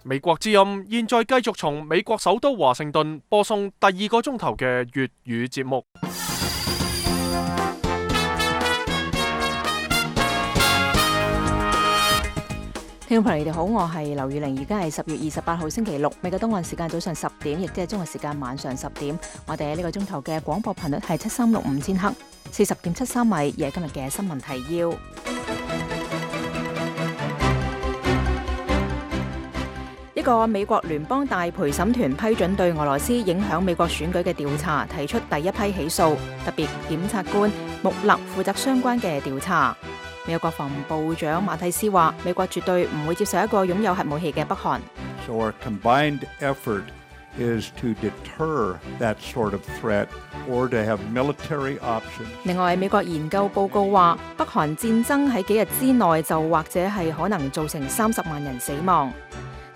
美國之音現在繼續從美國首都華盛頓播送第2個鐘頭嘅粵語節目。聽眾朋友，你哋好，我係劉宇玲，而家係10月28號星期六，美國東岸時間早上10點，亦即係中國時間晚上10點。我哋喺呢個鐘頭嘅廣播頻率係7365千赫，40.73米，而係今日嘅新聞提要。一個美國聯邦大陪審團批准對俄羅斯影響美國選舉嘅調查提出第一批起訴，特別檢察官穆勒負責相關嘅調查。美國國防部長馬蒂斯話：美國絕對唔會接受一個擁有核武器嘅北韓。So our combined effort is to deter that sort of threat or to have military options. 另外，美國研究報告話，北韓戰爭喺幾日之內就或者係可能造成30萬人死亡。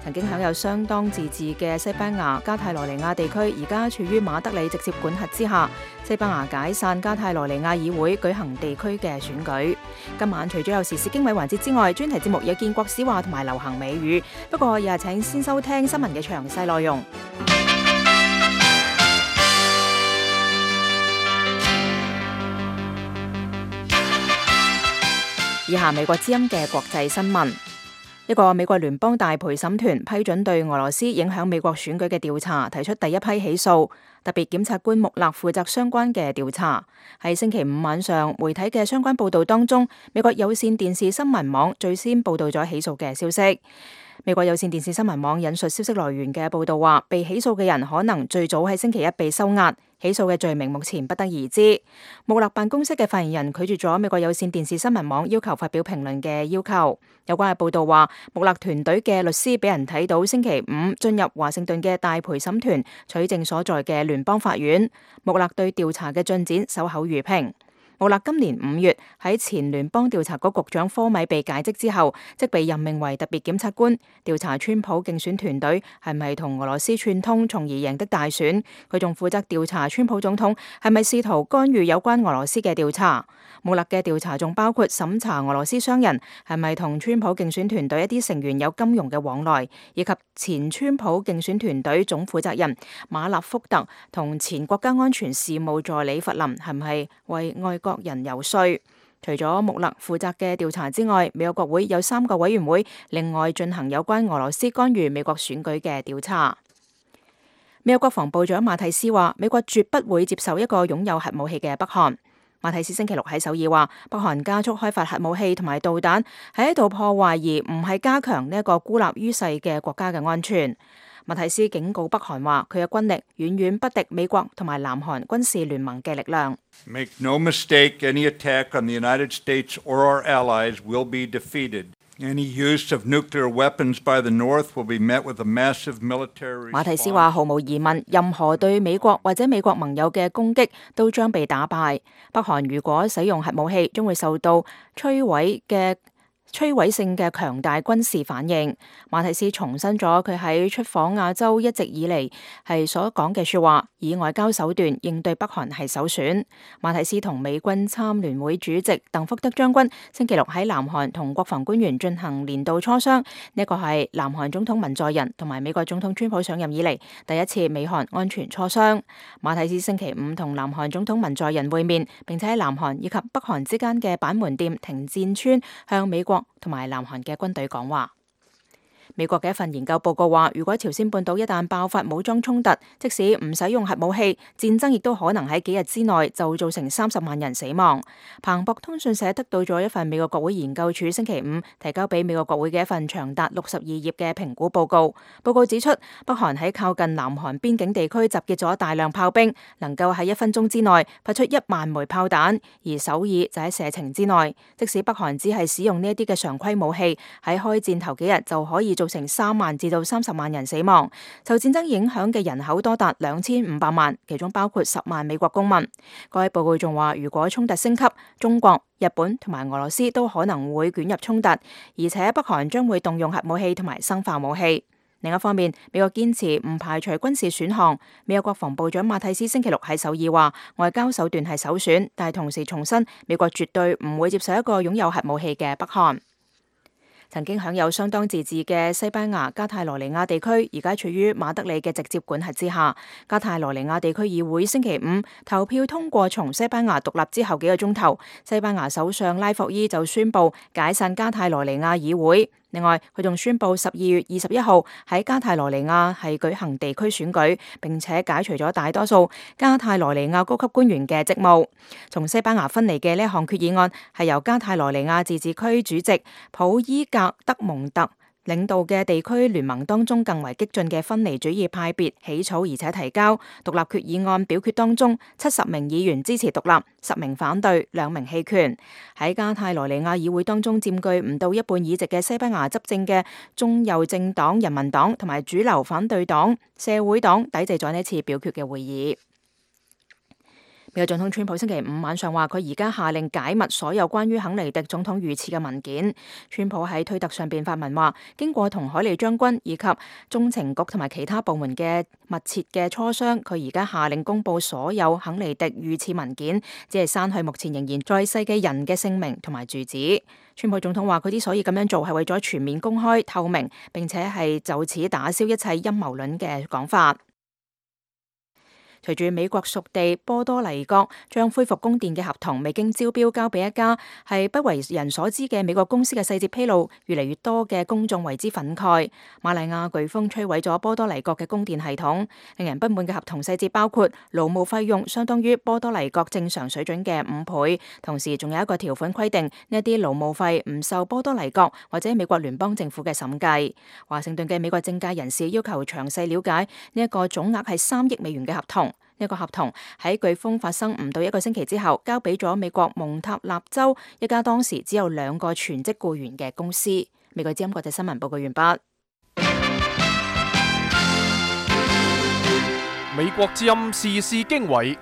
曾經享有相當自治嘅西班牙加泰羅尼亞地區，而家處於馬德里直接管轄之下。西班牙解散加泰羅尼亞議會，舉行地區嘅選舉。今晚除咗有時事經緯環節之外，專題節目有建國史話同埋流行美語。不過，又係請先收聽新聞嘅詳細內容。以下美國之音嘅國際新聞。一個美國聯邦大陪審團批准對俄羅斯影響美國選舉嘅調查提出第一批起訴，特別檢察官穆勒負責相關嘅調查。喺星期五晚上，媒體嘅相關報道當中，美國有線電視新聞網最先報道咗起訴嘅消息。美國有線電視新聞網引述消息來源嘅報道話，被起訴嘅人可能最早喺星期一被收押。起訴嘅罪名目前不得而知。穆勒辦公室嘅發言人拒絕咗美國有線電視新聞網要求發表評論嘅要求。有關嘅報道話，穆勒團隊嘅律師俾人睇到星期五進入華盛頓嘅大陪審團取證所在嘅聯邦法院。穆勒對調查嘅進展守口如瓶。穆勒今年5月喺前聯邦調查局局長科米被解職之後，即被任命為特別檢察官，調查川普競選團隊係咪同俄羅斯串通，從而贏得大選。佢仲負責調查川普總統係咪試圖干預有關俄羅斯嘅調查。穆勒嘅調查仲包括審查俄羅斯商人係咪同川普競選團隊一啲成員有金融嘅往來，以及前川普競選團隊總負責人馬納福特同前國家安全事務助理弗林係唔係為外國人游說。除咗穆勒負責嘅調查之外，美國國會有3個委員會另外進行有關俄羅斯干預美國選舉嘅調查。美國國防部長馬蒂斯話：美國絕不會接受一個擁有核武器嘅北韓。馬蒂斯星期六喺首爾話，北韓加速開發核武器同埋導彈，喺度破壞而唔係加強呢一個孤立於世嘅國家嘅安全。馬蒂斯警告北韓話，佢嘅軍力遠遠不敵美國同埋南韓軍事聯盟嘅力量。Make no mistake, any attack on the United States or our allies will be defeated. Any use of nuclear weapons by the North will be met with a massive military response. 馬蒂斯話，毫無疑問，任何對美國或者美國盟友嘅攻擊都將被打敗。北韓如果使用核武器，將會受到摧毀性嘅強大軍事反應。馬蒂斯重申咗佢喺出訪亞洲一直以嚟係所講嘅說話，以外交手段應對北韓係首選。馬蒂斯同美軍參聯會主席鄧福德將軍星期六喺南韓同國防官員進行年度磋商，呢個係南韓總統文在寅同埋美國總統川普上任以嚟第一次美韓安全磋商。馬蒂斯星期五同南韓總統文在寅會面，並且喺南韓以及北韓之間嘅板門店停戰村向美國同埋南韓嘅軍隊講話。美國嘅一份研究報告話，如果朝鮮半島一旦爆發武裝衝突，即使唔使用核武器，戰爭亦都可能喺幾日之內就造成30萬人死亡。彭博通訊社得到咗一份美國國會研究處星期五提交俾美國國會嘅一份長達62頁嘅評估報告。報告指出，北韓喺靠近南韓邊境地區集結咗大量炮兵，能夠喺1分鐘之內發出1萬枚炮彈，而首爾就喺射程之內。即使北韓只係使用呢一啲嘅常規武器，喺開戰頭幾日就可以造成3萬至到30萬人死亡。受戰爭影響嘅人口多達2500萬，其中包括10萬美國公民。該報告仲話，如果衝突升級，中國、日本同埋俄羅斯都可能會捲入衝突，而且北韓將會動用核武器同埋生化武器。另一方面，美國堅持唔排除軍事選項。美國國防部長馬蒂斯星期六喺首爾話，外交手段係首選，但係同時重申美國絕對唔會接受一個擁有核武器嘅北韓。曾經享有相當自治嘅西班牙加泰羅尼亞地區，而家處於馬德里嘅直接管轄之下。加泰羅尼亞地區議會星期五投票通過，從西班牙獨立之後幾個鐘頭，西班牙首相拉霍伊就宣布解散加泰羅尼亞議會。另外，佢仲宣布12月21號喺加泰羅尼亞係舉行地區選舉，並且解除咗大多數加泰羅尼亞高級官員嘅職務。從西班牙分離嘅呢一項決議案係由加泰羅尼亞自治區主席普伊格德蒙特領導嘅地區聯盟當中更為激進嘅分離主義派別起草，而且提交獨立決議案表決當中，70名議員支持獨立，10名反對，2名棄權。喺加泰羅尼亞議會當中佔據唔到一半議席嘅西班牙執政嘅中右政黨人民黨同埋主流反對黨社會黨抵制咗呢次表決嘅會議。美國總統川普星期五晚上話，佢而家下令解密所有關於肯尼迪總統遇刺嘅文件。川普喺推特上邊發文話，經過同海利將軍以及中情局同埋其他部門嘅密切嘅磋商，佢而家下令公布所有肯尼迪遇刺文件，只係刪去目前仍然在世嘅人嘅姓名同埋住址。川普總統話，佢之所以咁樣做係為咗全面公開透明，並且係就此打消一切陰謀論嘅講法。隨住美國屬地波多黎各將恢復供電嘅合同未經招標交俾一家係不為人所知嘅美國公司嘅細節披露，越嚟越多嘅公眾為之憤慨。瑪麗亞颶風摧毀咗波多黎各嘅供電系統，令人不滿嘅合同細節包括勞務費用相當於波多黎各正常水準嘅5倍，同時仲有一個條款規定呢一啲勞務費唔受波多黎各或者美國聯邦政府嘅審計。華盛頓嘅美國政界人士要求詳細了解呢一個總額係3億美元嘅合同。呢個合同喺颶風發生唔到1個星期之後，交俾咗美國蒙塔納州一家當時只有2個全職僱員嘅公司。美國之音國際新聞報告完畢。美國之音時事經緯，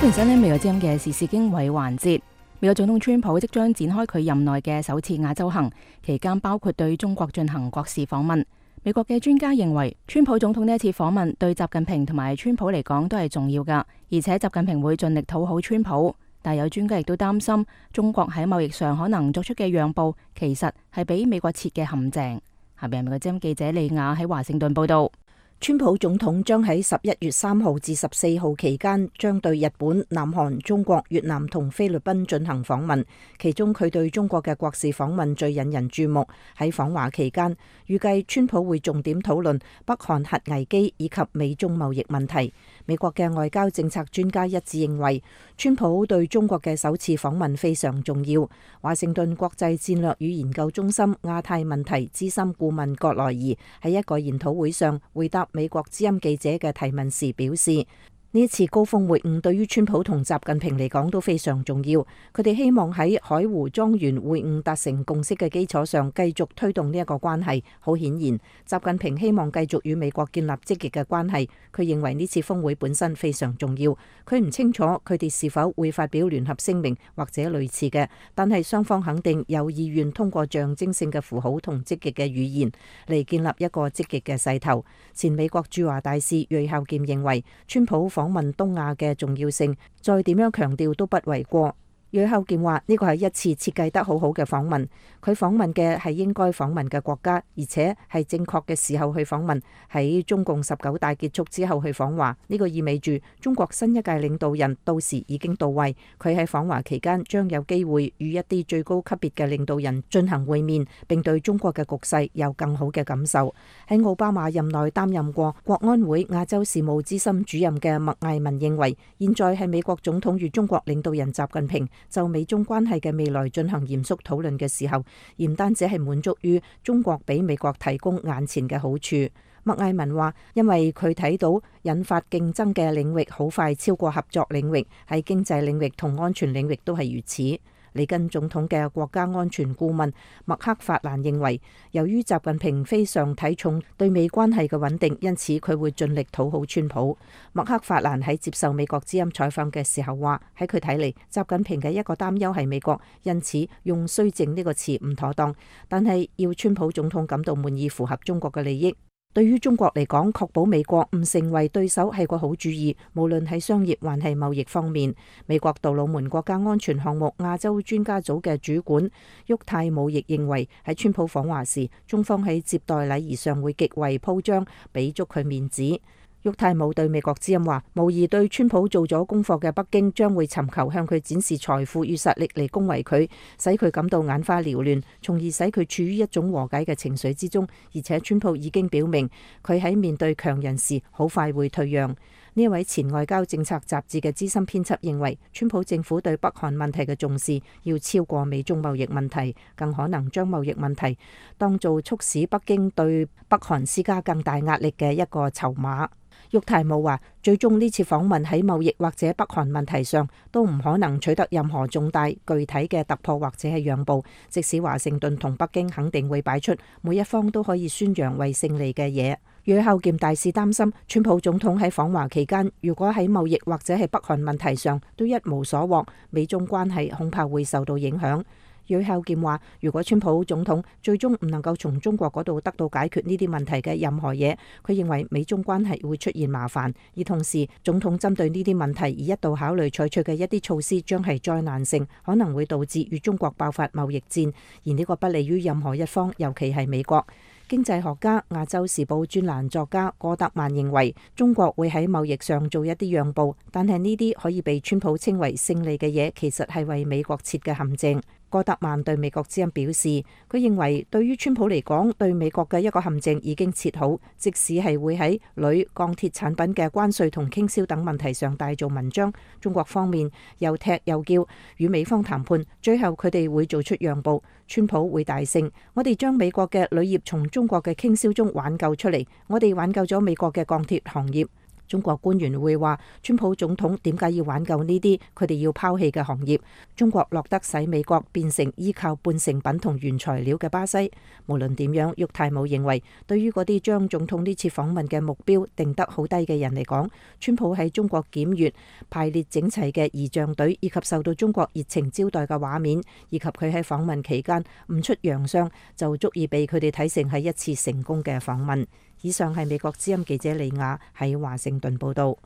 歡迎收聽美國之音嘅時事經緯環節。美國總統川普即將展開佢任內嘅首次亞洲行，期間包括對中國進行國事訪問。美國嘅專家認為，川普總統呢一次訪問對習近平同埋川普嚟講都係重要噶，而且習近平會盡力討好川普。但有專家亦都擔心，中國喺貿易上可能作出嘅讓步，其實係俾美國設嘅陷阱。下邊係美國之音記者利亞喺華盛頓報道。川普總統將喺11月3號至14號期間將對日本、南韓、中國、越南同菲律賓進行訪問，其中佢對中國嘅國事訪問最引人注目。喺訪華期間，預計川普會重點討論北韓核危機以及美中貿易問題。美國嘅外交政策專家一致認為，川普對中國嘅首次訪問非常重要。華盛頓國際戰略與研究中心亞太問題資深顧問葛萊儀喺一個研討會上回答美國之音記者嘅提問時表示，呢次高峰會晤對於川普同習近平嚟講都非常重要。佢哋希望喺海湖莊園會晤達成共識嘅基礎上，繼續推動呢一個關係。好顯然，習近平希望繼續與美國建立積極嘅關係。佢認為呢次峰會本身非常重要。佢唔清楚佢哋是否會發表聯合聲明或者類似嘅，但係雙方肯定有意願通過象徵性嘅符號同積極嘅語言嚟建立一個積極嘅勢頭。前美國駐華大使芮孝儉認為，川普訪問東亞嘅重要性，再點樣強調都不為過。芮孝儉話呢個係一次設計得好好嘅訪問，佢訪問嘅係應該訪問嘅國家，而且係正確嘅時候去訪問，喺中共19大結束之後去訪華，呢個意味住中國新一屆領導人到時已經到位，佢喺訪華期間將有機會與一啲最高級別嘅領導人進行會面，並對中國嘅局勢有更好嘅感受。喺奧巴馬任內擔任過國安會亞洲事務資深主任嘅麥艾文認為，現在係美國總統與中國領導人習近平就美中關係嘅未來進行嚴肅討論嘅時候，而唔單止係滿足於中國俾美國提供眼前嘅好處。麥艾文話，因為佢睇到引發競爭嘅領域好快超過合作領域，喺經濟領域同安全領域都係如此。里根總統嘅國家安全顧問麥克法蘭認為，由於習近平非常睇重對美關係嘅穩定，因此佢會盡力討好川普。麥克法蘭喺接受美國之音採訪嘅時候話，喺佢睇嚟，習近平嘅一個擔憂係美國，因此用綏靖呢個詞唔妥當，但係要川普總統感到滿意，符合中國嘅利益。對於中國嚟講，確保美國唔成為對手係個好主意，無論喺商業還係貿易方面。美國杜魯門國家安全項目亞洲專家組嘅主管沃泰姆亦認為，喺川普訪華時，中方喺接待禮儀上會極為鋪張，俾足佢面子。沃泰姆對美國之音話，無疑對川普做咗功課嘅北京將會尋求向佢展示財富與實力嚟恭維佢，使佢感到眼花繚亂，從而使佢處於一種和解嘅情緒之中。而且川普已經表明，佢喺面對強人時好快會退讓。呢一位前外交政策雜誌嘅資深編輯認為，川普政府對北韓問題嘅重視要超過美中貿易問題，更可能將貿易問題當做促使北京對北韓施加更大壓力嘅一個籌碼。沃泰姆話，最終呢次訪問喺貿易或者北韓問題上都唔可能取得任何重大具體嘅突破或者係讓步，即使華盛頓同北京肯定會擺出每一方都可以宣揚為勝利嘅嘢。呂孝儉大使擔心，川普總統喺訪華期間，如果喺貿易或者係北韓問題上都一無所獲，美中關係恐怕會受到影響。呂孝儉話，如果川普總統最終唔能夠從中國嗰度得到解決呢啲問題嘅任何嘢，佢認為美中關係會出現麻煩，而同時總統針對呢啲問題而一度考慮採取嘅一啲措施將係災難性，可能會導致與中國爆發貿易戰，而呢個不利於任何一方，尤其係美國。經濟學家、亞洲時報專欄作家戈德曼認為，中國會喺貿易上做一啲讓步，但係呢啲可以被川普稱為勝利嘅嘢，其實係為美國設嘅陷阱。戈德曼對美國之音表示，佢認為對於川普嚟講，對美國嘅一個陷阱已經設好，即使係會喺鋁、鋼鐵產品嘅關稅同傾銷等問題上大做文章，中國方面又踢又叫，與美方談判，最後佢哋會做出讓步，川普會大勝。我哋將美國嘅鋁業從中國嘅傾銷中挽救出嚟，我哋挽救咗美國嘅鋼鐵行業。中國官員會話，川普總統點解要挽救呢啲佢哋要拋棄嘅行業？中國落得使美國變成依靠半成品同原材料嘅巴西。無論點樣，沃泰姆認為，對於嗰啲將總統呢次訪問嘅目標定得好低嘅人嚟講，川普喺中國檢閱排列整齊嘅儀仗隊，以及受到中國熱情招待嘅畫面，以及佢喺訪問期間唔出洋相，就足以被佢哋睇成係一次成功嘅訪問。以上係美國之音記者李雅喺華盛頓報道。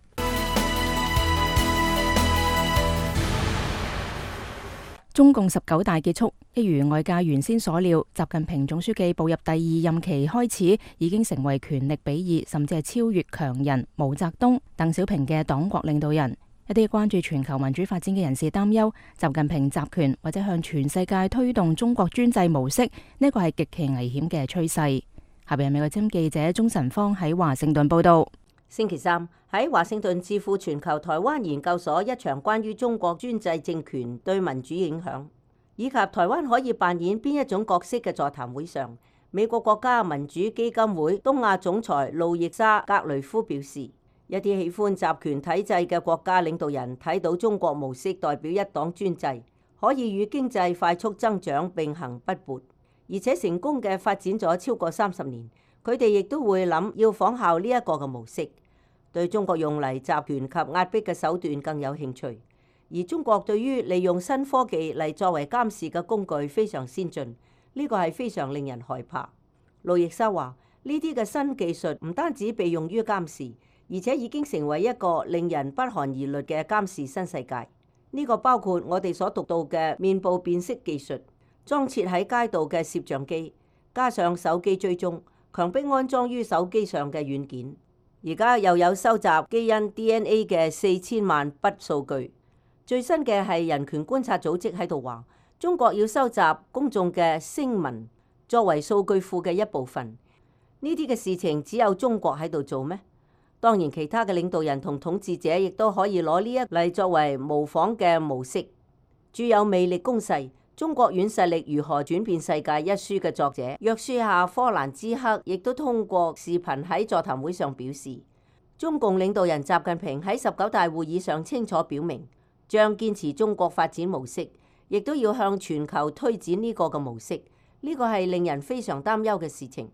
中共19大結束，一如外界原先所料，習近平總書記步入第2任期開始，已經成為權力比擬甚至係超越強人毛澤東、鄧小平嘅黨國領導人。一啲關注全球民主發展嘅人士擔憂，習近平集權或者向全世界推動中國專制模式，呢個係極其危險嘅趨勢。下邊係美國之音記者鐘晨芳喺華盛頓報道。星期三喺華盛頓智庫全球台灣研究所一場關於中國專制政權對民主影響以及台灣可以扮演邊一種角色嘅座談會上，美國國家民主基金會東亞總裁路易莎格雷夫表示，一啲喜歡集權體制嘅國家領導人睇到中國模式代表一黨專制，可以與經濟快速增長並行不悖，而且成功嘅發展咗超過30年，佢哋亦都會諗要仿效呢一個嘅模式，對中國用嚟集權及壓迫嘅手段更有興趣。而中國對於利用新科技嚟作為監視嘅工具非常先進，呢個係非常令人害怕。路易莎話：呢啲嘅新技術唔單止被用於監視，而且已經成為一個令人不寒而慄嘅監視新世界。呢個包括我哋所讀到嘅面部辨識技術、裝設喺街道嘅攝像機，加上手機追蹤，強迫安裝於手機上嘅軟件。而家又有收集基因 DNA 嘅4000萬筆數據。最新嘅係人權觀察組織喺度話，中國要收集公眾嘅聲紋作為數據庫嘅一部分。呢啲嘅事情只有中國喺度做咩？當然，其他嘅領導人同統治者亦都可以攞呢一嚟作為模仿嘅模式。著有魅力攻勢《中國軟實力如何轉變世界》一書嘅作者約書亞·科蘭茲克亦都通過視頻喺座談會上表示，中共領導人習近平喺19大會議上清楚表明，將堅持中國發展模式，亦都要向全球推展呢個嘅模式。呢個係令人非常擔憂嘅事情。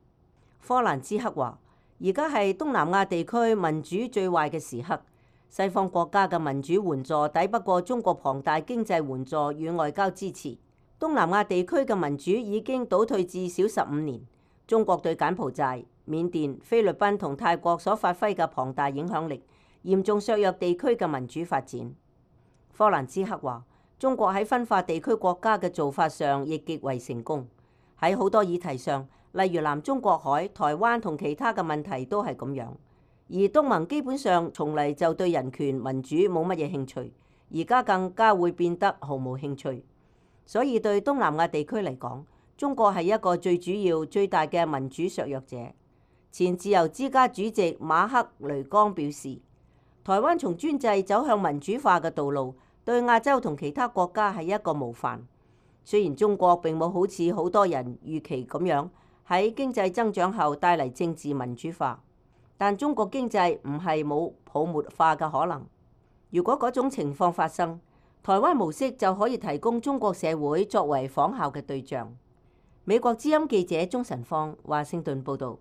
科蘭茲克話：而家係東南亞地區民主最壞嘅時刻，西方國家嘅民主援助抵不過中國龐大經濟援助與外交支持。東南亞地區嘅民主已經倒退至少15年。中國對柬埔寨、緬甸、菲律賓同泰國所發揮嘅龐大影響力，嚴重削弱地區嘅民主發展。科蘭茲克話，中國喺分化地區國家嘅做法上亦極為成功。喺好多議題上，例如南中國海、台灣同其他嘅問題都係咁樣。而東盟基本上從嚟就對人權民主冇乜嘢興趣，而家更加會變得毫無興趣。所以對東南亞地區嚟講，中國係一個最主要、最大嘅民主削弱者。前自由之家主席馬克雷剛表示，台灣從專制走向民主化嘅道路，對亞洲同其他國家係一個模範。雖然中國並冇好似好多人預期咁樣喺經濟增長後帶嚟政治民主化，但中國經濟唔係冇泡沫化嘅可能。如果嗰種情況發生，台灣模式就可以提供中國社會作為仿效嘅對象。美國之音記者鍾晨芳，華盛頓報導。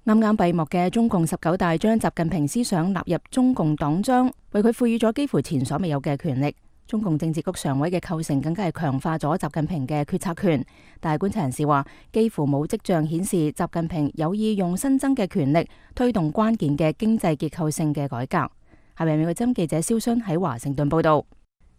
啱啱閉幕嘅中共19大將習近平思想納入中共黨章，為佢賦予咗幾乎前所未有嘅權力。中共政治局常委嘅構成更加係強化咗習近平嘅決策權。但係觀察人士話，幾乎冇跡象顯示習近平有意用新增嘅權力推動關鍵嘅經濟結構性嘅改革。下面美國之音記者蕭薰喺華盛頓報道。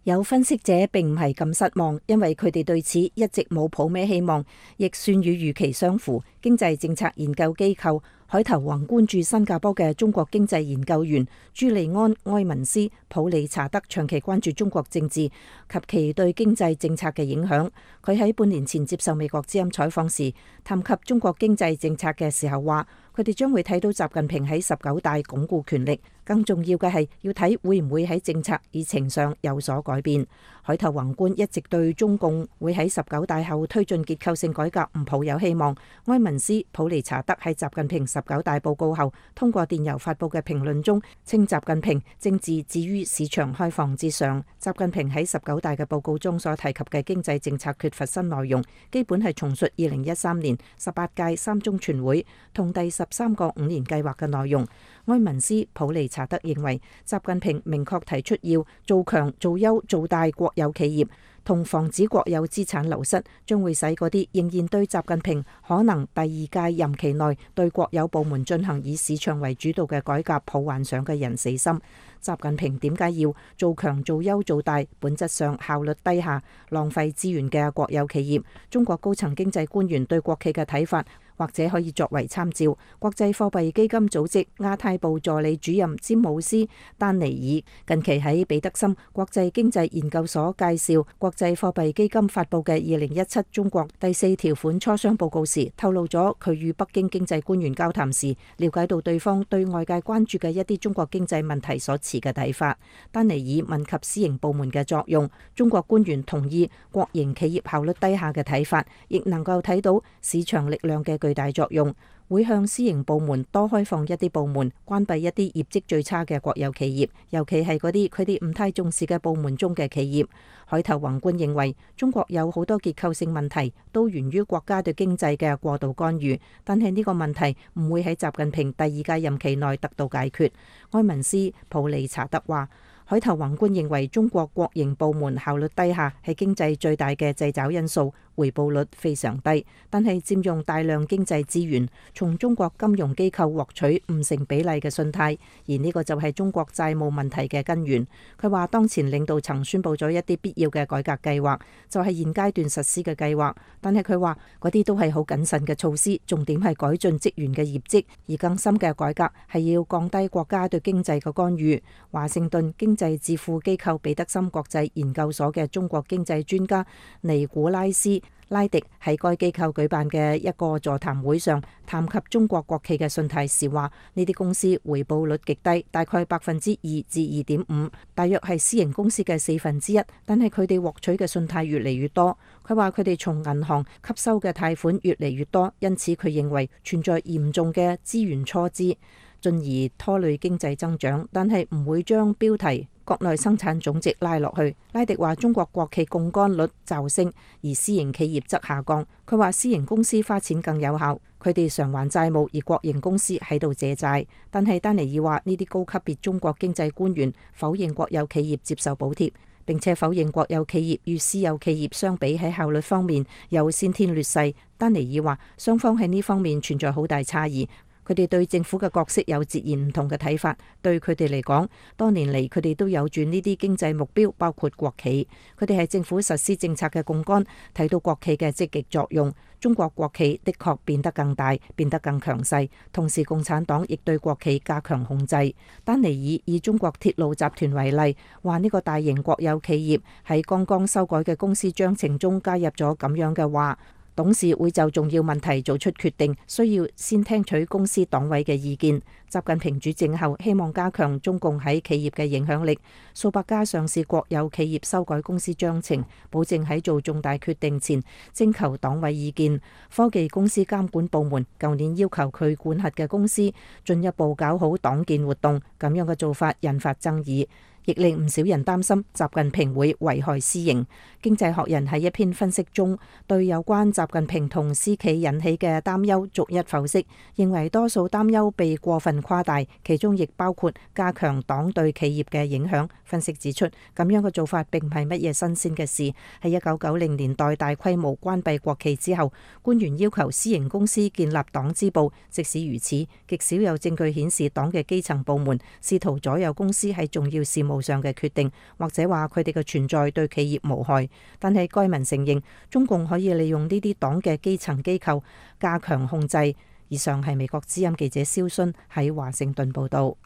有分析者並唔係咁失望，因為佢哋對此一直冇抱咩希望，亦算與預期相符。經濟政策研究機構海頭宏觀駐新加坡嘅中國經濟研究員朱利安·埃文斯·普利查德長期關注中國政治及其對經濟政策嘅影響。佢喺半年前接受美國之音採訪時，談及中國經濟政策嘅時候話，佢哋將會睇到習近平喺19大鞏固權力，更重要嘅係要睇會唔會喺政策議程上有所改變。海頭宏觀一直對中共會喺19大後推進結構性改革唔抱有希望。埃文斯·普利查德喺習近平19大報告後通過電郵發布嘅評論中，稱習近平政治置於市場開放之上。習近平喺19大嘅報告中所提及嘅經濟政策缺乏新內容，基本係重述2013年18屆三中全會同第13個5年計劃嘅內容。埃文斯·普利查德認為，習近平明確提出要做強、做優、做大國有企業，同防止國有資產流失，將會使嗰啲仍然對習近平可能第2屆任期內對國有部門進行以市場為主導嘅改革抱幻想嘅人死心。習近平點解要做強、做優、做大？本質上效率低下、浪費資源嘅國有企業。中國高層經濟官員對國企嘅睇法，或者可以作為參照。國際貨幣基金組織亞太部助理主任詹姆斯丹尼爾近期喺彼得森國際經濟研究所介紹國際貨幣基金發布嘅2017中國第4條款磋商報告時，透露咗佢與北京經濟官員交談時了解到對方對外界關注嘅一啲中國經濟問題所持嘅睇法。丹尼爾問及私營部門嘅作用，中國官員同意國營企業效率低下嘅睇法，亦能夠睇到市場力量嘅巨大作用，會向私營部門多開放一啲部門，關閉一啲業績最差嘅國有企業，尤其係嗰啲佢哋唔太重視嘅部門中嘅企業。海頭宏觀認為，中國有好多結構性問題都源於國家對經濟嘅過度干預，但係呢個問題唔會喺習近平第2屆任期內得到解決。埃文斯·普利查德話，海頭宏觀認為中國國營部門效率低下係經濟最大嘅掣肘因素，回報率非常低，但係佔用大量經濟資源，從中國金融機構獲取唔成比例嘅信貸，而呢個就係中國債務問題嘅根源。佢話當前領導層宣布咗一啲必要嘅改革計劃，就係現階段實施嘅計劃，但係佢話嗰啲都係好謹慎嘅措施，重點係改進職員嘅業績，而更深嘅改革係要降低國家對經濟嘅干預。華盛頓經濟智庫機構彼得森國際研究所嘅中國經濟專家尼古拉斯拉迪喺該機構舉辦嘅一個座談會上談及中國國企嘅信貸時話，呢啲公司回報率極低，大概2%至2.5%，大約係私營公司嘅1/4，但係佢哋獲取嘅信貸越嚟越多。佢話佢哋從銀行吸收嘅貸款越嚟越多，因此佢認為存在嚴重嘅資源錯支，進而拖累經濟增長，但係唔會將標題國內生產總值拉落去。拉迪話中國國企槓桿率驟升，而私營企業則下降。佢話私營公司花錢更有效，佢哋償還債務，而國營公司喺度借債。但係丹尼爾話呢啲高級別中國經濟官員否認國有企業接受補貼，並且否認國有企業與私有企業相比喺效率方面有先天劣勢。丹尼爾話，雙方喺呢方面存在好大差異。佢哋對政府嘅角色有截然唔同嘅睇法。對佢哋嚟講，多年嚟佢哋都有住呢啲經濟目標，包括國企。佢哋係政府實施政策嘅槓桿，睇到國企嘅積極作用。中國國企的確變得更大，變得更強勢。同時，共產黨亦對國企加強控制。丹尼爾以中國鐵路集團為例，話呢個大型國有企業喺剛剛修改嘅公司章程中加入咗咁樣嘅話。董事會就重要問題做出決定，需要先聽取公司黨委嘅意見。習近平主政後希望加強中共喺企業嘅影響力，數百家上市國有企業修改公司章程，保證喺做重大決定前徵求黨委意見。科技公司監管部門舊年要求佢管轄嘅公司進一步搞好黨建活動，咁樣嘅做法引發爭議，亦令唔少人擔心習近平會危害私營。經濟學人喺一篇分析中，對有關習近平同私企引起嘅擔憂逐一剖析，認為多數擔憂被過分誇大，其中亦包括加強黨對企業嘅影響。分析指出，咁樣嘅做法並唔係乜嘢新鮮嘅事。喺1990年代大規模關閉國企之後，官員要求私營公司建立黨支部。即使如此，極少有證據顯示黨嘅基層部門試圖左右公司喺重要事務上嘅決定，或者話佢哋嘅存在對企業無害。但係該文承認，中共可以利用呢啲黨嘅基層機構加強控制。以上係美國之音記者蕭순喺華盛頓報道。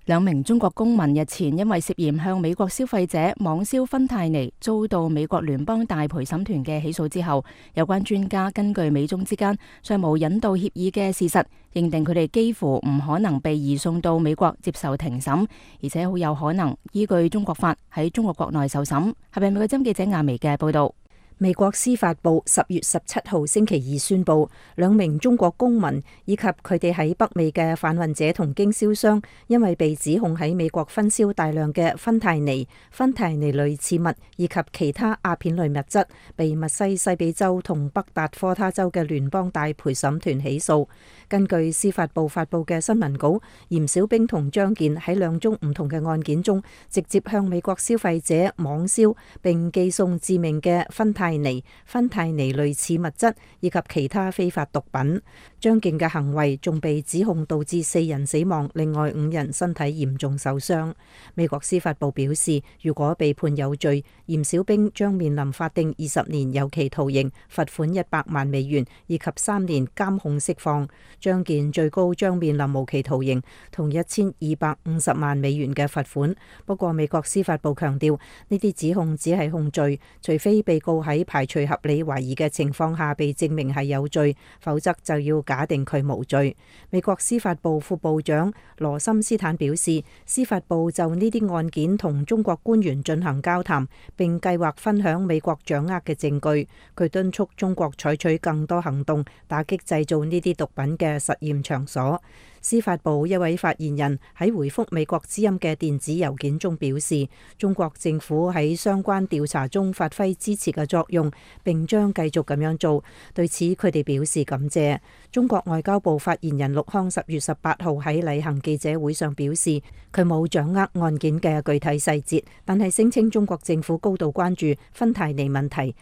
兩名中國公民日前因為涉嫌向美國消費者網銷芬太尼，遭到美國聯邦大陪審團嘅起訴之後，有關專家根據美中之間尚無引渡協議嘅事實，認定佢哋幾乎唔可能被移送到美國接受庭審，而且好有可能依據中國法喺中國國內受審。係咪美國之音記者亞薇嘅報道？美國司法部10月17號星期二宣布，兩名中國公民以及佢哋喺北美嘅販運者同經銷商，因為被指控喺美國分銷大量嘅芬太尼類似物以及其他鴉片類物質，被密西西比州同北達科他州嘅聯邦大陪審團起訴。根據司法部發布嘅新聞稿，嚴小兵同張健喺兩宗唔同嘅案件中，直接向美國消費者網銷並寄送致命嘅芬太尼類似物質以及其他非法毒品。張健嘅行為仲被指控導致4人死亡，另外5人身體嚴重受傷。美國司法部表示，如果被判有罪，嚴小兵將面臨法定20年有期徒刑、罰款100萬美元以及3年監控釋放。張健最高將面臨無期徒刑同1250萬美元嘅罰款。不過美國司法部強調，呢啲指控只係控罪，除非被告喺排除合理懷疑嘅情況下被證明係有罪，否則就要假定佢無罪。美國司法部副部長羅森斯坦表示，司法部就呢啲案件同中國官員進行交談，並計劃分享美國掌握嘅證據。佢敦促中國採取更多行動，打擊製造呢啲毒品嘅實驗場所。司法部一位發言人喺回覆美國之音嘅電子郵件中表示，中國政府喺相關調查中發揮支持嘅作用，並將繼續咁樣做。對此，佢哋表示感謝。中國外交部發言人陸康10月18號喺例行記者會上表示，佢冇掌握案件嘅具體細節，但係聲稱中國政府高度關注芬太尼問題。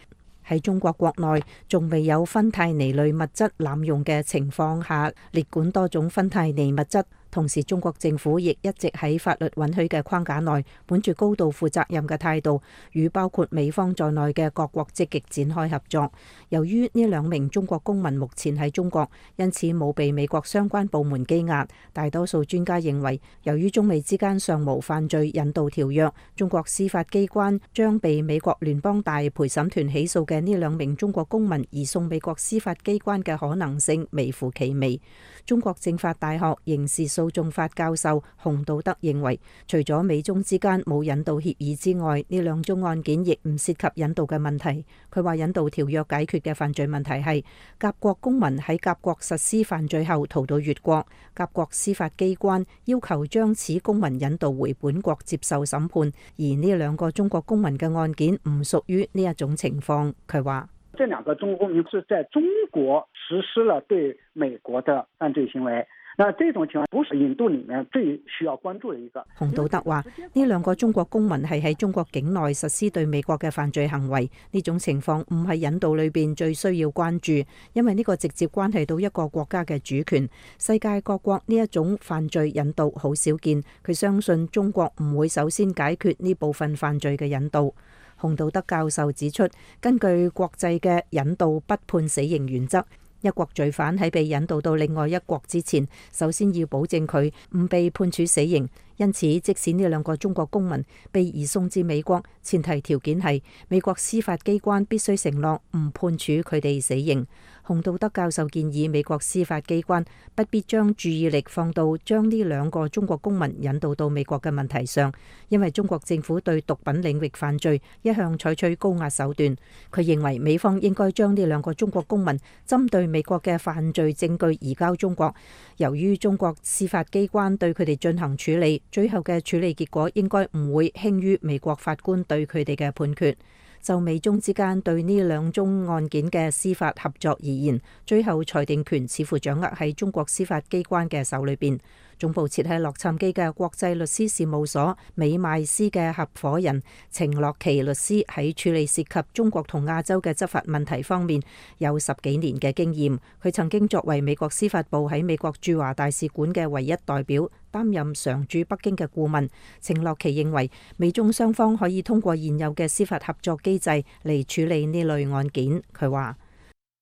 喺中國國內仲未有芬太尼類物質濫用嘅情況下，列管多種芬太尼物質。同時，中國政府亦一直喺法律允許嘅框架內，本住高度負責任嘅態度，與包括美方在內嘅各國積極展開合作。由於呢2名中國公民目前喺中國，因此冇被美國相關部門羈押。大多數專家認為，由於中美之間尚無犯罪引渡條約，中國司法機關將被美國聯邦大陪審團起訴嘅呢2名中國公民移送美國司法機關嘅可能性微乎其微。中國政法大學刑事訴訟法教授洪道德認為，除咗美中之間冇引渡協議之外，呢2宗案件亦唔涉及引渡嘅問題。佢話引渡條約解決嘅犯罪問題係甲國公民喺甲國實施犯罪後逃到越國，甲國司法機關要求將此公民引渡回本國接受審判，而呢2個中國公民嘅案件唔屬於呢一種情況。佢話，這2個中國公民是在中國實施了對美國的犯罪行為，那這種情況不是引渡裡面最需要關注的一個。洪道德話：呢兩個中國公民係喺中國境內實施對美國嘅犯罪行為，呢種情況唔係引渡裏邊最需要關注，因為呢個直接關係到一個國家嘅主權。世界各國呢一種犯罪引渡好少見，佢相信中國唔會首先解決呢部分犯罪嘅引渡。洪道德教授指出，根據國際嘅引渡不判死刑原則，一國罪犯喺被引渡到另外一國之前，首先要保證佢唔被判處死刑。因此，即使呢兩個中國公民被移送至美國，前提條件係美國司法機關必須承諾唔判處佢哋死刑。洪道德教授建議美國司法機關不必將注意力放到將呢兩個中國公民引渡到美國嘅問題上，因為中國政府對毒品領域犯罪一向採取高壓手段。佢認為美方應該將呢兩個中國公民針對美國嘅犯罪證據移交中國，由於中國司法機關對佢哋進行處理，最後嘅處理結果應該唔會輕於美國法官對佢哋嘅判決。就美中之間對呢兩宗案件嘅司法合作而言，最後裁定權似乎掌握喺中國司法機關嘅手裏邊。總部設喺洛杉磯嘅國際律師事務所美邁斯嘅合夥人程樂琪律師喺處理涉及中國同亞洲嘅執法問題方面有10幾年嘅經驗。佢曾經作為美國司法部喺美國駐華大使館嘅唯一代表，擔任常駐北京嘅顧問。程樂琪認為美中雙方可以通過現有嘅司法合作機制嚟處理呢類案件。佢話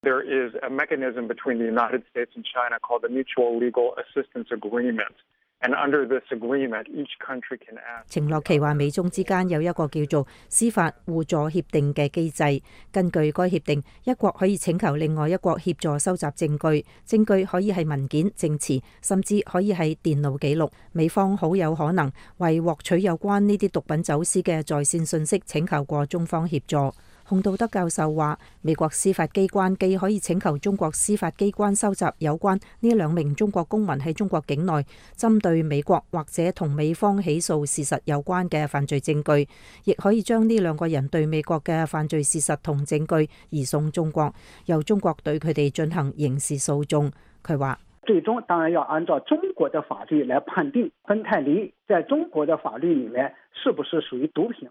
：There is a mechanism between the United States and China called the Mutual Legal Assistance Agreement, and under this agreement, each country can ask。程樂琪話：美中之間有一個叫做司法互助協定嘅機制，根據該協定，一國可以請求另外一國協助收集證據，證據可以係文件、證詞，甚至可以係電腦記錄。美方好有可能為獲取有關呢啲毒品走私嘅在線信息請求過中方協助。洪道德教授話：美國司法機關既可以請求中國司法機關收集有關呢2名中國公民喺中國境內針對美國或者同美方起訴事實有關嘅犯罪證據，亦可以將呢2個人對美國嘅犯罪事實同證據移送中國，由中國對佢哋進行刑事訴訟。佢話：最終當然要按照中國的法律來判定芬太尼在中國的法律裏面是不是屬於毒品。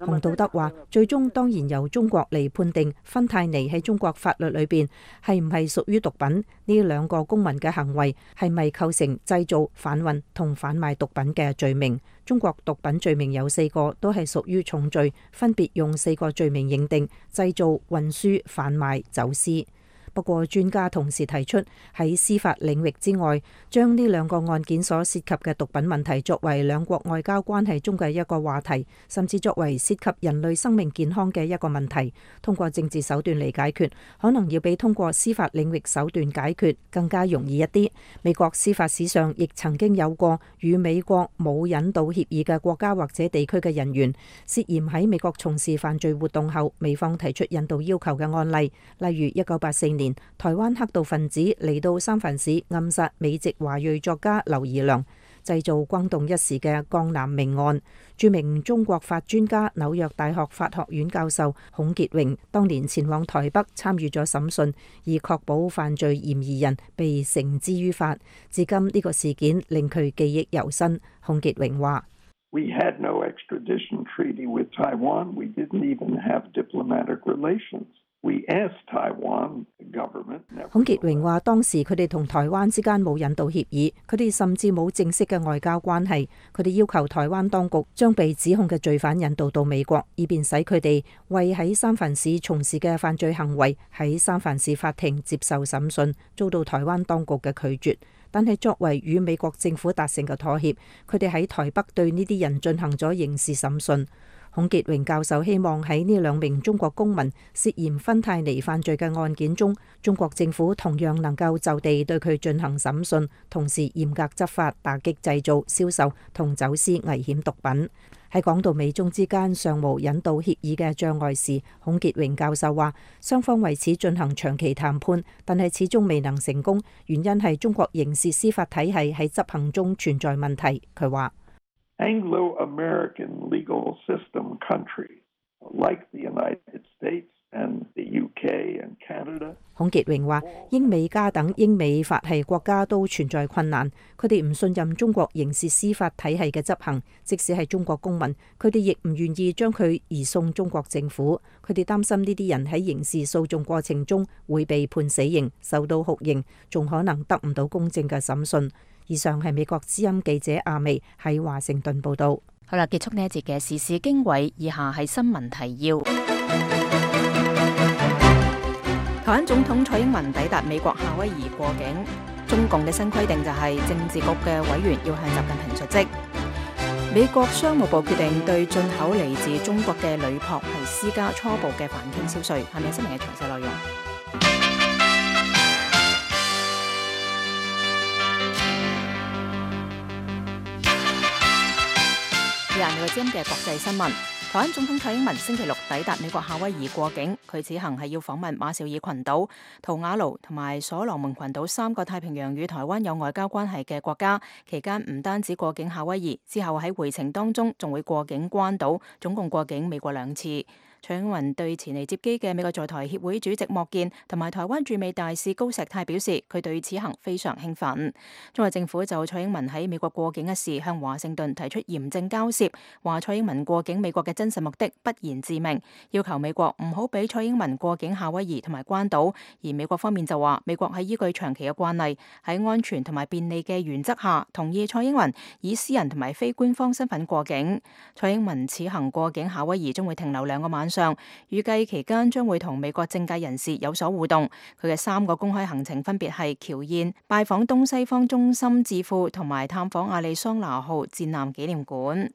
洪道德話：最終當然由中國嚟判定芬太尼喺中國法律裏邊係唔係屬於毒品，呢2個公民嘅行為係咪構成製造、販運同販賣毒品嘅罪名。中國毒品罪名有4個，都係屬於重罪，分別用4個罪名認定：製造、運輸、販賣、走私。不過專家同時提出，喺司法領域之外，將呢2個案件所涉及嘅毒品問題作為兩國外交關係中嘅一個話題，甚至作為涉及人類生命健康嘅一個問題，通過政治手段嚟解決，可能要比通過司法領域手段解決更加容易一啲。美國司法史上亦曾經有過與美國冇引渡協議嘅國家或者地區嘅人員涉嫌喺美國從事犯罪活動後，美方提出引渡要求嘅案例，例如1984年台灣黑道分子嚟到三藩市暗殺美籍華裔作家劉怡良，製造轟動一時嘅江南命案。著名中國法專家、紐約大學法學院教授孔傑榮當年前往台北參與咗審訊，以確保犯罪嫌疑人被繩之於法。至今呢個事件令佢記憶猶新。孔傑榮話：We had no extradition treaty with Taiwan. We didn't even have diplomatic relations. 孔傑榮話：當時佢哋同台灣之間冇引渡協議，佢哋甚至冇正式嘅外交關係。佢哋要求台灣當局將被指控嘅罪犯引渡到美國，以便使佢哋為喺三藩市從事嘅犯罪行為喺三藩市法庭接受審訊，遭到台灣當局嘅拒絕。但係作為與美國政府達成嘅妥協，佢哋喺台北對呢啲人進行咗刑事審訊。孔傑榮教授希望喺呢2名中國公民涉嫌芬太尼犯罪嘅案件中，中國政府同樣能夠就地對佢進行審訊，同時嚴格執法，打擊製造、銷售同走私危險毒品。喺講到美中之間尚無引渡協議嘅障礙時，孔傑榮教授話：雙方為此進行長期談判，但係始終未能成功，原因係中國刑事司法體系喺執行中存在問題。佢話Anglo-American legal system countries like the United States 孔傑榮話：英美加等英美法系國家都存在困難，佢哋唔信任中國刑事司法體系嘅執行，即使係中國公民，佢哋亦唔願意將佢移送中國政府。佢哋擔心呢啲人喺刑事訴訟過程中會被判死刑，受到酷刑，仲可能得唔到公正嘅審訊。以上係美國之音記者阿薇喺華盛頓報道。好啦，結束呢一節嘅時事經緯，以下係新聞提要。台灣總統蔡英文抵達美國夏威夷過境，中共嘅新規定就係政治局嘅委員要向習近平述職。美國商務部決定對進口嚟自中國嘅鋁箔係施加初步嘅反傾銷稅。下面新聞嘅詳細內容。以下係今日嘅國際新聞。台灣總統蔡英文星期六抵達美國夏威夷過境，佢此行係要訪問馬紹爾群島、圖瓦盧同埋所羅門群島3個太平洋與台灣有外交關係嘅國家。期間唔單止過境夏威夷，之後喺回程當中仲會過境關島，總共過境美國2次。蔡英文對前嚟接機嘅美國在台協會主席莫健同埋台灣駐美大使高石泰表示，佢對此行非常興奮。中國政府就蔡英文喺美國過境一事向華盛頓提出嚴正交涉，話蔡英文過境美國嘅真實目的不言自明，要求美國唔好俾蔡英文過境夏威夷同埋關島。而美國方面就話，美國係依據長期嘅慣例，喺安全同埋便利嘅原則下，同意蔡英文以私人同埋非官方身份過境。蔡英文此行過境夏威夷將會停留2個晚上，預計期間將會同美國政界人士有所互動。佢嘅3個公開行程分別係僑宴、拜訪東西方中心智庫同埋探訪亞利桑那號戰艦紀念館。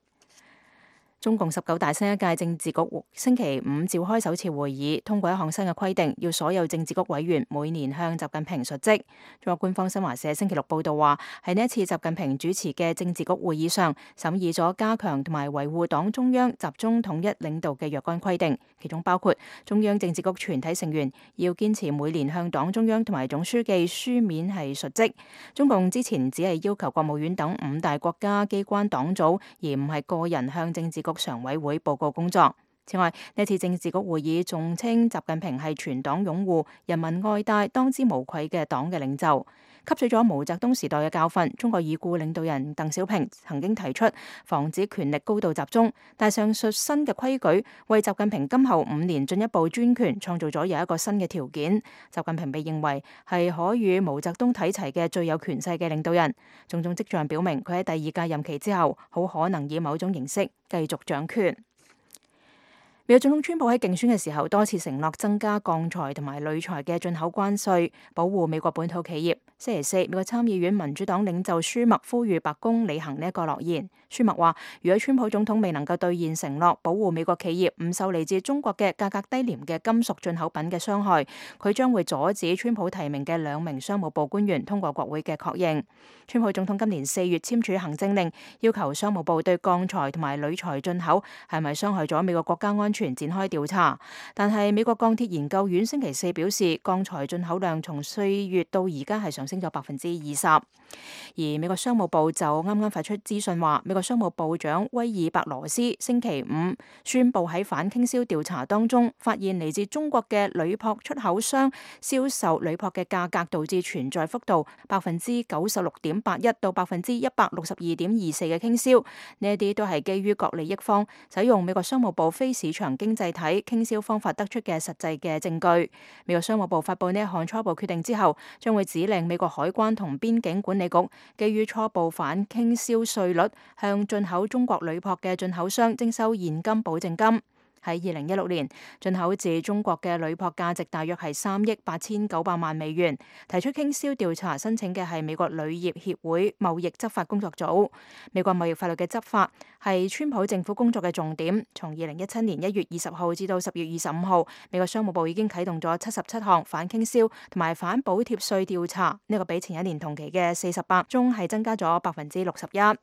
中共19大新一屆政治局星期5召開首次會議，通過一項新嘅規定，要所有政治局委員每年向習近平述職。中國官方新華社星期六報道話，喺呢一次習近平主持嘅政治局會議上，審議咗加強同埋維護黨中央集中統一領導嘅若干規定，其中包括中央政治局全體成員要堅持每年向黨中央同埋總書記書面係述職。中共之前只係要求國務院等5大國家機關黨組，而唔係個人向政治局常委會報告工作。此外，呢次政治局會議仲稱習近平係全黨擁護、人民愛戴、當之無愧嘅黨嘅領袖。吸取咗毛澤東時代嘅教訓，中國已故領導人鄧小平曾經提出防止權力高度集中，但上述新嘅規矩為習近平今後5年進一步專權創造咗有一個新嘅條件。習近平被認為係可與毛澤東睇齊嘅最有權勢嘅領導人，種種跡象表明佢喺第2屆任期之後，好可能以某種形式繼續掌權。美國總統川普喺競選嘅時候多次承諾增加鋼材同埋鋁材嘅進口關稅，保護美國本土企業。星期四，美國參議院民主黨領袖舒默呼籲白宮履行呢一個諾言。舒默話，如果川普總統未能夠兌現承諾，保護美國企業唔受嚟自中國嘅價格低廉嘅金屬進口品嘅傷害，佢將會阻止川普提名嘅2名商務部官員通過國會嘅確認。川普總統今年4月簽署行政令，要求商務部對鋼材同埋鋁材進口係咪傷害咗美國國家安全展開調查。但係美國鋼鐵研究院星期四表示，鋼材進口量從4月到而家係上升咗20%。而美國商務部就啱啱發出資訊話，美國商務部長威爾伯羅斯星期5宣布喺反傾銷調查當中，發現嚟自中國嘅鋁箔出口商銷售鋁箔嘅價格導致存在幅度96.81%到162.24%嘅傾銷，呢一啲都係基於各利益方使用美國商務部非市場經濟體傾銷方法得出嘅實際嘅證據。美國商務部發布呢一項初步決定之後，將會指令美國海關同邊境管理局基於初步反傾銷稅率，向進口中國鋁箔嘅進口商徵收現金保證金。喺2016年，進口自中國嘅鋁箔價值大約係3億8900萬美元。提出傾銷調查申請嘅係美國鋁業協會貿易執法工作組。美國貿易法律嘅執法係川普政府工作嘅重點。從2017年1月20號至到10月25號，美國商務部已經啟動咗77項反傾銷同埋反補貼稅調查，呢個比前一年同期嘅48宗係增加咗61%。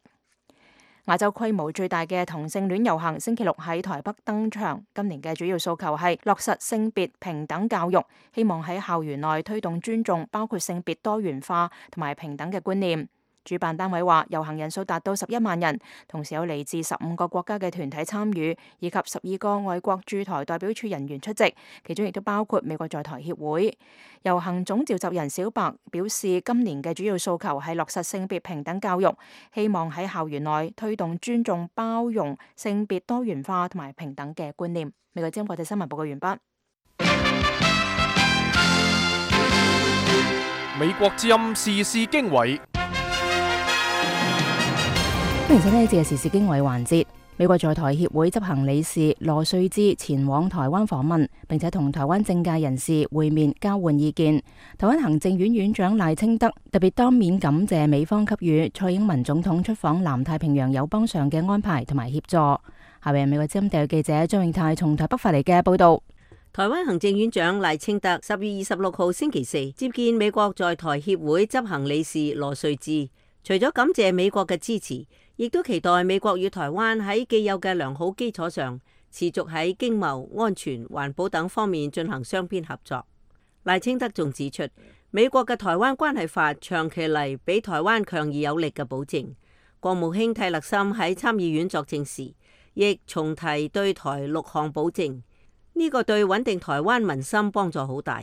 亞洲規模最大嘅同性戀遊行星期六喺台北登場，今年嘅主要訴求係落實性別平等教育，希望喺校園內推動尊重包括性別多元化同埋平等嘅觀念。主辦單位話，遊行人數達到11萬人，同時有嚟自15個國家嘅團體參與，以及12個外國駐台代表處人員出席，其中亦都包括美國在台協會。遊行總召集人小白表示，今年嘅主要訴求係落實性別平等教育，希望喺校園內推動尊重、包容、性別多元化同埋平等嘅觀念。美國之音國際新聞報告完畢。美國之音時事經緯，歡迎收聽呢節嘅時事經緯環節。美國在台協會執行理事羅瑞智前往台灣訪問，並且同台灣政界人士會面交換意見。台灣行政院院長賴清德特別當面感謝美方給予蔡英文總統出訪南太平洋友邦上嘅安排同埋協助。下邊美國之音特約記者張永泰從台北發嚟嘅報道。台灣行政院長賴清德10月26號星期四接見美國在台協會執行理事羅瑞智，除咗感謝美國嘅支持，亦都期待美國與台灣喺既有嘅良好基礎上，持續喺經貿、安全、環保等方面進行雙邊合作。賴清德仲指出，美國嘅台灣關係法長期嚟俾台灣強而有力嘅保證。國務卿蒂勒森喺參議院作證時，亦重提對台6項保證。呢個對穩定台灣民心幫助好大。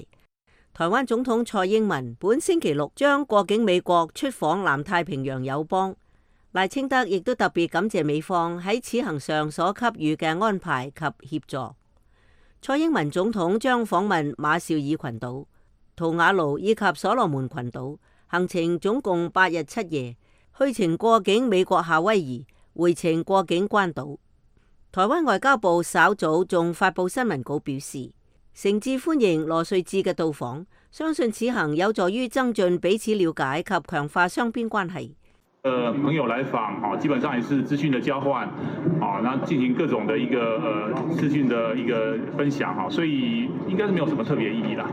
台灣總統蔡英文本星期六將過境美國出訪南太平洋友邦，賴清德亦都特別感謝美方喺此行上所給予嘅安排及協助。蔡英文總統將訪問馬紹爾群島、圖瓦盧以及所羅門群島，行程總共8日7夜，去程過境美國夏威夷，回程過境關島。台灣外交部稍早仲發佈新聞稿表示，誠摯歡迎羅瑞智嘅到訪，相信此行有助於增進彼此了解及強化雙邊關係。朋友來訪，基本上也是資訊的交換，那進行各種的一個資訊的一個分享，所以應該是沒有什麼特別意義啦。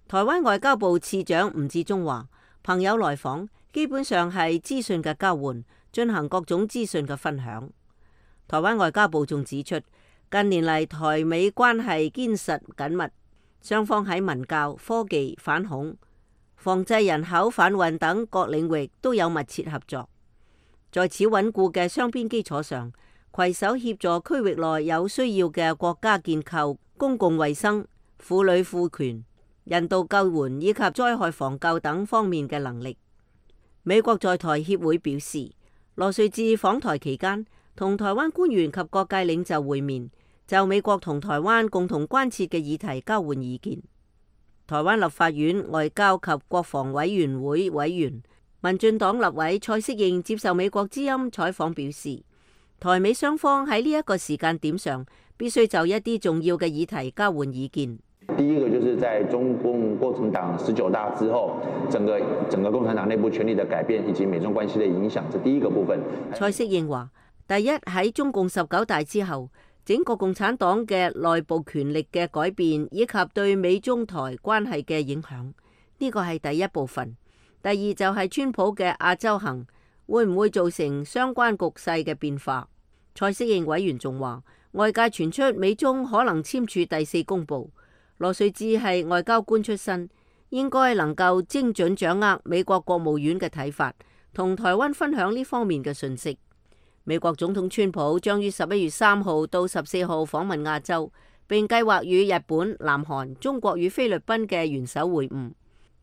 台灣外交部次長吳志忠話，朋友來訪基本上係資訊嘅交換，進行各種資訊嘅分享。台灣外交部仲指出，近年嚟台美關係堅實緊密，雙方喺文教、科技、反恐、防制人口販運等各領域都有密切合作。在此穩固嘅雙邊基礎上，攜手協助區域內有需要嘅國家建構公共衛生、婦女賦權、人道救援以及災害防救等方面嘅能力。美國在台協會表示，羅瑞智訪台期間，同台灣官員及各界領袖會面，就美國同台灣共同關切嘅議題交換意見。台灣立法院外交及國防委員會委員、民進黨立委蔡適應接受美國之音採訪表示，台美雙方喺呢一個時間點上，必須就一啲重要嘅議題交換意見。第一個就是在中共共產黨19大之後，整個共產黨內部權力的改變以及美中關係的影響，這第一個部分。蔡適應話，第一，喺中共19大之後，整個共產黨嘅內部權力嘅改變以及對美中台關係嘅影響，呢個係第一部分。第二就係川普嘅亞洲行會唔會造成相關局勢嘅變化。蔡適應委員仲話，外界傳出美中可能簽署第4公報，羅瑞智係外交官出身，應該能夠精準掌握美國國務院嘅睇法，同台灣分享呢方面嘅訊息。美國總統川普將於11月3號到14號訪問亞洲，並計劃與日本、南韓、中國與菲律賓嘅元首會晤，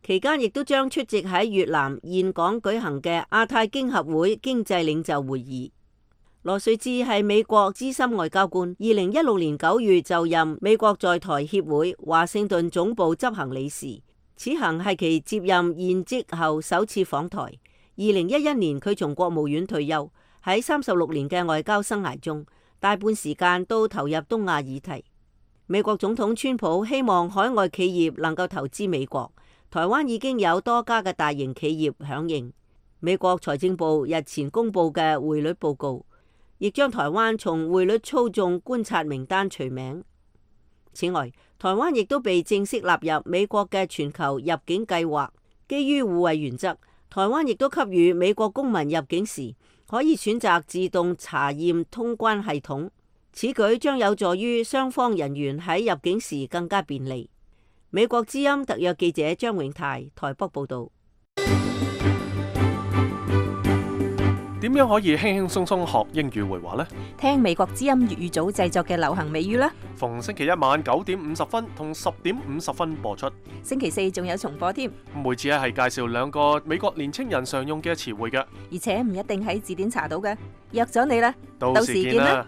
期間亦都將出席喺越南峴港舉行嘅亞太經合會經濟領袖會議。羅瑞智係美國資深外交官，2016年9月就任美國在台協會華盛頓總部執行理事，此行係其接任現職後首次訪台。2011年佢從國務院退休。喺36年嘅外交生涯中，大半時間都投入東亞議題。美國總統川普希望海外企業能夠投資美國，台灣已經有多家嘅大型企業響應。美國財政部日前公布嘅匯率報告，亦將台灣從匯率操縱觀察名單除名。此外，台灣亦都被正式納入美國嘅全球入境計劃。基於互惠原則，台灣亦都給予美國公民入境時可以選擇自動查驗通關系統，此舉將有助於雙方人員喺入境時更加便利。美國之音特約記者張永泰台北報道。點樣可以輕輕鬆鬆學英語會話呢？聽美國之音粵語組製作嘅流行美語啦。逢星期一晚9:50同10:50播出。星期四仲有重播添。每次係介紹2個美國年青人常用嘅詞彙嘅，而且唔一定喺字典查到嘅。約咗你啦，到時見啦。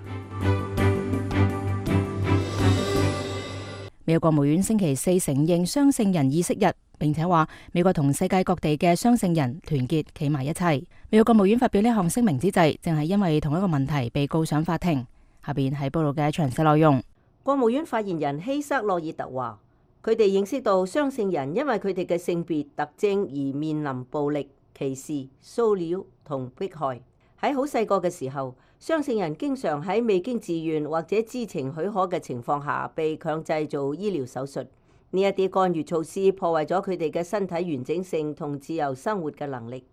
美國國務院星期四承認雙聖人意識日，並且話美國同世界各地嘅雙聖人團結企埋一齊。美國國務院發表呢項聲明之際，正係因為同一個問題被告上法庭。下邊係報道嘅詳細內容。國務院發言人希瑟洛爾特話，佢哋認識到雙聖人因為佢哋嘅性別特徵而面臨暴力、歧視、騷擾同迫害。喺好細個嘅時候，雙聖人經常喺未經自願或者知情許可嘅情況下被強制做醫療手術。呢一啲干預措施破壞咗佢哋嘅身體完整性同自由生活嘅能力。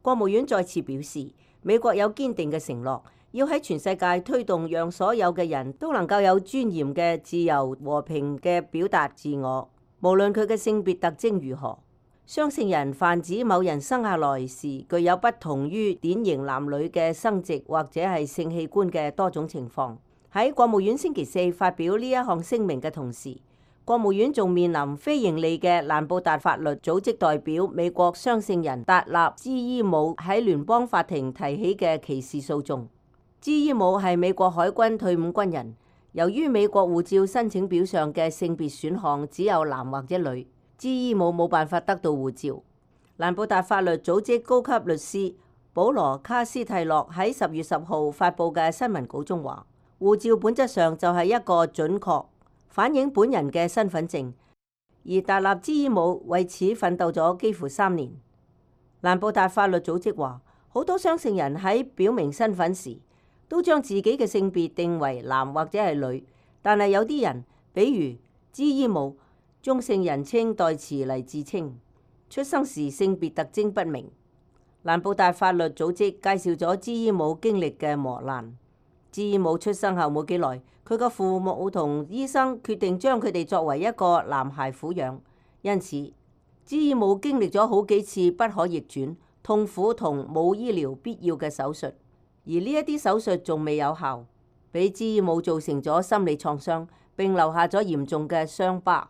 國務院再次表示，美國有堅定嘅承諾，要喺全世界推動讓所有嘅人都能夠有尊嚴嘅自由和平嘅表達自我，無論佢嘅性別特徵如何。雙性人泛指某人生下來時具有不同於典型男女嘅生殖或者係性器官嘅多種情況。喺國務院星期四發表呢一項聲明嘅同時，國務院仲面臨非營利嘅蘭布達法律組織代表美國雙性人達納茲伊姆喺聯邦法庭提起嘅歧視訴訟。茲伊姆係美國海軍退伍軍人，由於美國護照申請表上嘅性別選項只有男或者女，茲伊姆冇辦法得到護照。蘭布達法律組織高級律師保羅卡斯蒂洛喺10月10號發布嘅新聞稿中話，護照本質上就係一個準確反映本人嘅身份證，而達納茲伊姆為此奮鬥咗幾乎3年。蘭布達法律組織話，好多雙性人喺表明身份時都將自己嘅性別定為男或者係女，但係有啲人，比如茲伊姆，中性人稱代詞嚟自稱，出生時性別特徵不明。蘭布達法律組織介紹咗茲伊姆經歷嘅磨難。茲伊姆出生後冇幾耐，佢嘅父母同醫生決定將佢哋作為一個男孩撫養，因此茲伊姆經歷咗好幾次不可逆轉、痛苦同冇醫療必要嘅手術，而呢一啲手術仲未有效，俾茲伊姆造成咗心理創傷，並留下咗嚴重嘅傷疤。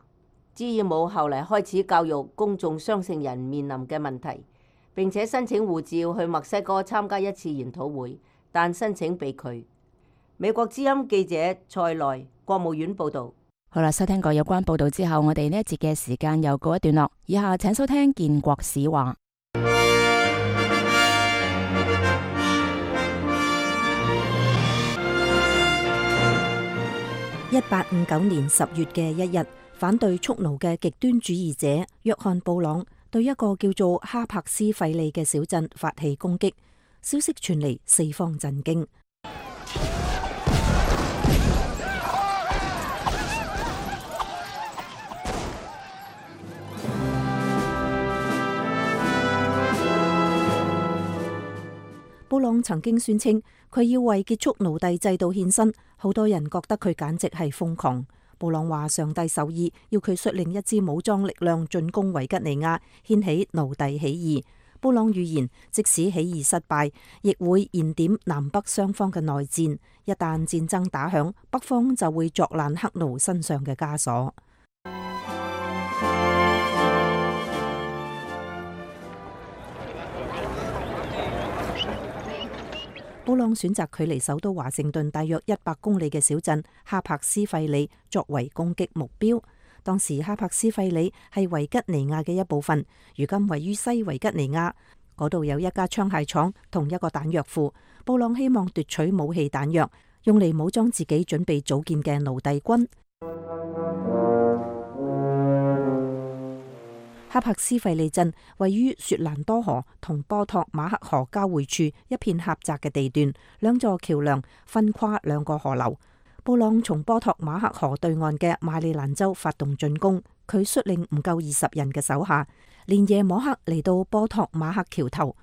茲伊姆後嚟開始教育公眾雙性人面臨嘅問題，並且申請護照去墨西哥參加一次研討會，但申請被拒。美國之音記者蔡內，國務院報道。好啦，收聽過有關報道之後，我哋呢一節嘅時間又告一段落。以下請收聽建國史話。1859年10月嘅一日，反對蓄奴嘅極端主義者約翰布朗對一個叫做哈柏斯費利嘅小鎮發起攻擊，消息傳嚟，四方震驚。布朗曾經宣稱佢要為結束奴隸制度獻身，好多人覺得佢簡直係瘋狂。布朗話上帝授意要佢率領一支武裝力量進攻維吉尼亞，掀起奴隸起義。布朗預言，即使起義失敗，亦會燃點南北雙方嘅內戰。一旦戰爭打響，北方就會作爛黑奴身上嘅枷鎖。布朗選擇距離首都華盛頓大約100公里嘅小鎮哈柏斯費里作為攻擊目標。當時哈柏斯費里係維吉尼亞嘅一部分，如今位於西維吉尼亞，嗰度有一家槍械廠同一個彈藥庫。布朗希望奪取武器彈藥，用嚟武裝自己準備組建嘅奴隸軍。哈柏斯費利鎮位於雪蘭多河同波托馬克河交匯處一片狹窄嘅地段，兩座橋梁分跨兩個河流。布朗從波托馬克河對岸嘅馬里蘭州發動進攻，佢率領唔夠20人嘅手下，連夜摸黑嚟到波托馬克橋頭。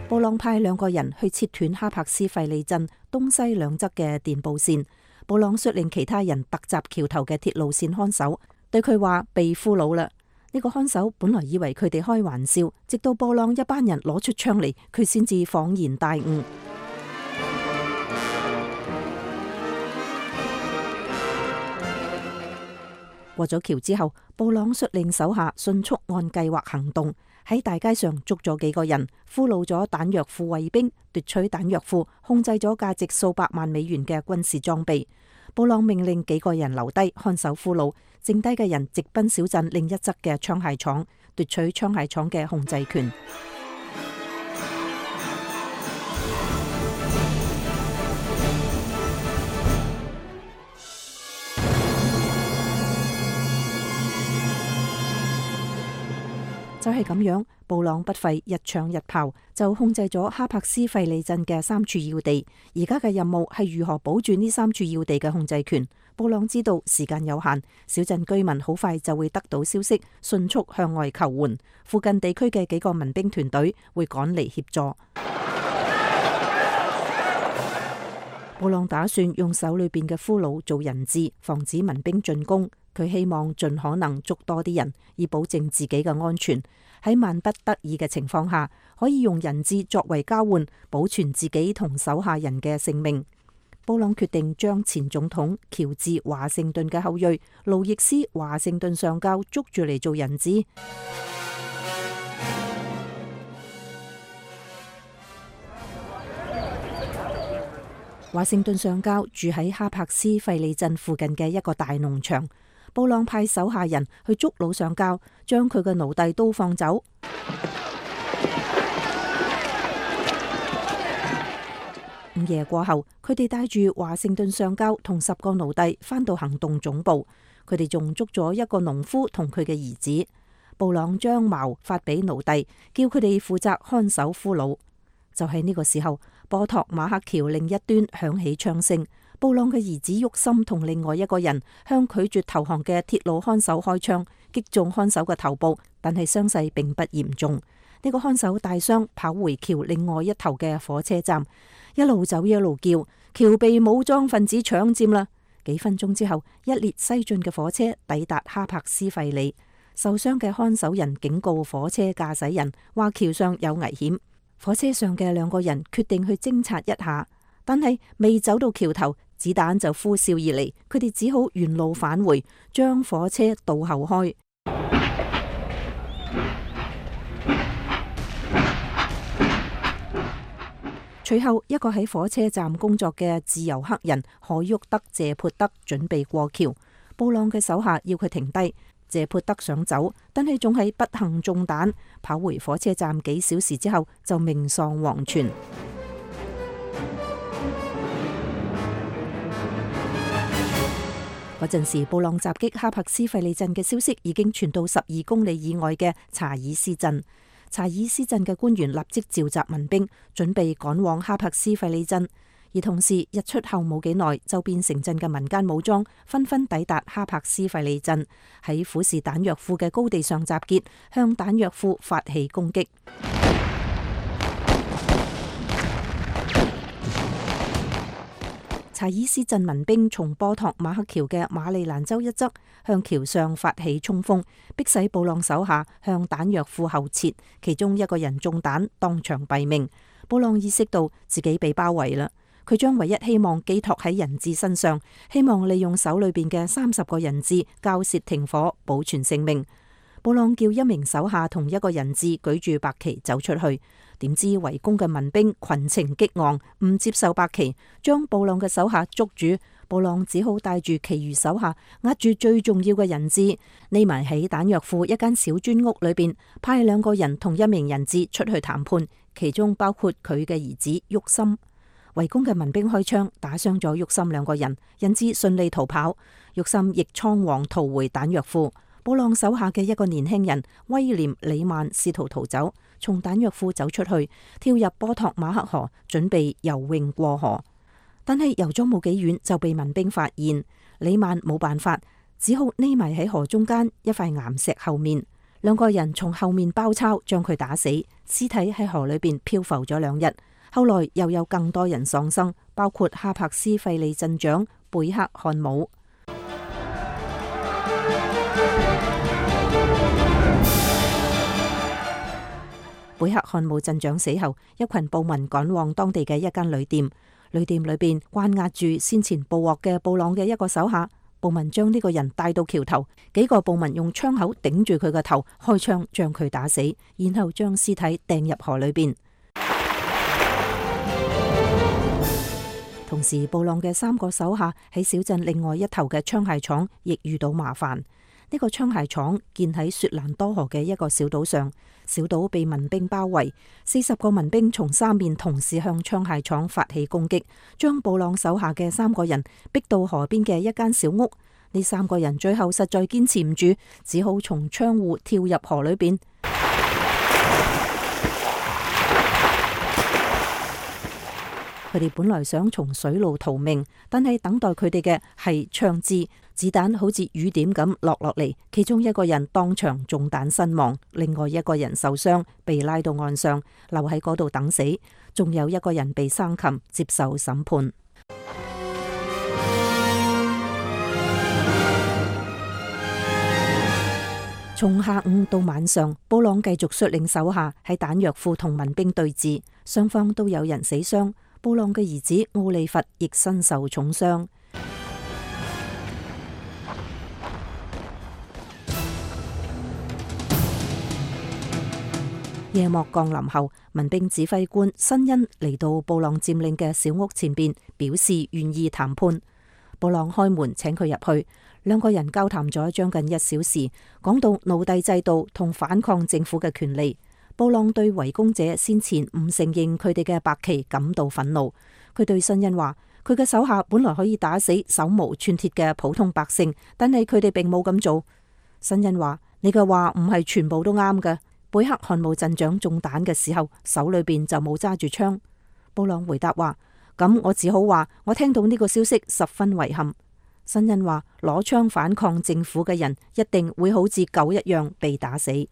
布朗派2個人去切斷哈柏斯費利鎮東西兩側嘅電報線。布朗率領其他人突襲橋頭嘅鐵路線看守，對佢話被俘虜啦。呢呢個看守本來以為佢哋開玩笑，直到布朗一班人攞出槍嚟，佢先至恍然大悟。過咗橋之後，布朗率領手下迅速按計劃行動，喺大街上捉咗幾個人，俘虜咗彈藥庫衛兵，奪取彈藥庫，控制咗價值數百萬美元嘅軍事裝備。布朗命令幾個人留低看守俘虜，剩低嘅人直奔小鎮另一側嘅槍械廠，奪取槍械廠嘅控制權。就係咁樣，布朗不費一槍一炮就控制咗哈柏斯費里鎮嘅3處要地。而家嘅任務係如何保住呢3處要地嘅控制權。布朗知道時間有限，小鎮居民好快就會得到消息，迅速向外求援。附近地區嘅幾個民兵團隊會趕嚟協助。布朗打算用手裏邊嘅俘虜做人質，防止民兵進攻。佢希望盡可能捉多啲人，以保證自己嘅安全。喺萬不得已嘅情況下，可以用人質作為交換，保存自己同手下人嘅性命。布朗決定將前總統喬治華盛頓嘅後裔路易斯華盛頓上校捉住嚟做人質。華盛頓上校住喺哈柏斯費里鎮附近嘅一個大農場。布朗派手下人去捉老上校，將佢嘅奴隸都放走。午夜過後，佢哋帶住華盛頓上校同10個奴隸返到行動總部。佢哋仲捉咗一個農夫同佢嘅兒子。布朗將矛發俾奴隸，叫佢哋負責看守俘虜。就喺呢個時候，波托馬克橋另一端響起槍聲。布朗嘅兒子沃森同另外一個人向拒絕投降嘅鐵路看守開槍，擊中看守嘅頭部，但係傷勢並不嚴重。呢個看守大傷，跑回橋另外一頭嘅火車站，一路走一路叫：橋被武裝分子搶佔啦！幾分鐘之後，一列西進嘅火車抵達哈柏斯費里。受傷嘅看守人警告火車駕駛人，話橋上有危險。火車上嘅2個人決定去偵察一下，但係未走到橋頭，子彈就呼嘯而嚟，佢哋只好原路返回，將火車倒後開。隨後，一個喺火車站工作嘅自由黑人海沃德謝潑德準備過橋，布朗嘅手下要佢停低。謝潑德想走，但係仲係不幸中彈，跑回火車站幾小時之後就命喪黃泉。嗰陣時，布朗襲擊哈柏斯費里鎮嘅消息已經傳到12公里以外嘅查爾斯鎮。查爾斯鎮嘅官員立即召集民兵，準備趕往哈柏斯費里鎮。而同時，日出後冇幾耐，周邊城鎮嘅民間武裝紛紛抵達哈柏斯費里鎮，喺虎視彈藥庫嘅高地上集結，向彈藥庫發起攻擊。查爾斯鎮民兵從波托馬克橋嘅馬里蘭州一側向橋上發起衝鋒，迫使布朗手下向彈藥庫後撤，其中一個人中彈，當場斃命。布朗意識到自己被包圍啦。佢將唯一希望寄託喺人質身上，希望利用手裏邊嘅30個人質交涉停火，保存性命。布朗叫一名手下同一個人質舉住白旗走出去，點知圍攻嘅民兵群情激昂，唔接受白旗，將布朗嘅手下捉住。布朗只好帶住其餘手下，握住最重要嘅人質，匿埋喺彈藥庫一間小磚屋裏邊，派2個人同一名人質出去談判，其中包括佢嘅兒子沃森。圍攻嘅民兵開槍，打傷咗沃森2個人，人質順利逃跑。沃森亦倉皇逃回彈藥庫。布朗手下嘅一個年輕人威廉李曼試圖逃走，從彈藥庫走出去，跳入波托馬克河，準備游泳過河。但係游咗冇幾遠就被民兵發現，李曼冇辦法，只好匿埋喺河中間一塊岩石後面。2個人從後面包抄，將佢打死，屍體喺河裏邊漂浮咗2日。後來又有更多人喪生，包括哈柏斯費里鎮長貝克漢姆。貝克漢姆鎮長死後，一群暴民趕往當地嘅一間旅店，旅店裏邊關押住先前捕獲嘅布朗嘅一個手下。暴民將呢個人帶到橋頭，幾個暴民用槍口頂住佢個頭，開槍將佢打死，然後將屍體掟入河裏邊。同時，布朗嘅3個手下喺小鎮另外一頭嘅槍械廠亦遇到麻煩。呢個槍械廠建喺雪蘭多河嘅一個小島上，小島被民兵包圍，40個民兵從3面同時向槍械廠發起攻擊，將布朗手下嘅3個人逼到河邊嘅一間小屋。呢3個人最後實在堅持唔住，只好從窗戶跳入河裏邊。佢哋本來想從水路逃命，但係等待佢哋嘅係槍支，子彈好似雨點咁落嚟。其中一個人當場中彈身亡，另外一個人受傷，被拉到岸上，留喺嗰度等死。仲有一個人被生擒，接受審判。從下午到晚上，布朗繼續率領手下喺彈藥庫同民兵對峙，雙方都有人死傷。布朗嘅兒子奧利弗亦身受重傷。夜幕降臨後，民兵指揮官辛恩嚟到布朗佔領嘅小屋前邊，表示願意談判。布朗開門請佢入去，2個人交談咗將近1小時，講到奴隸制度同反抗政府嘅權利。布朗對圍攻者先前唔承認佢哋嘅白旗感到憤怒。佢對辛恩話：佢嘅手下本來可以打死手無寸鐵嘅普通百姓，但係佢哋並冇咁做。辛恩話：你嘅話唔係全部都啱嘅。貝克漢姆鎮長中彈嘅時候，手裏邊就冇揸住槍。布朗回答話：咁我只好話我聽到呢個消息十分遺憾。辛恩話：攞槍反抗政府嘅人一定會好似狗一樣被打死。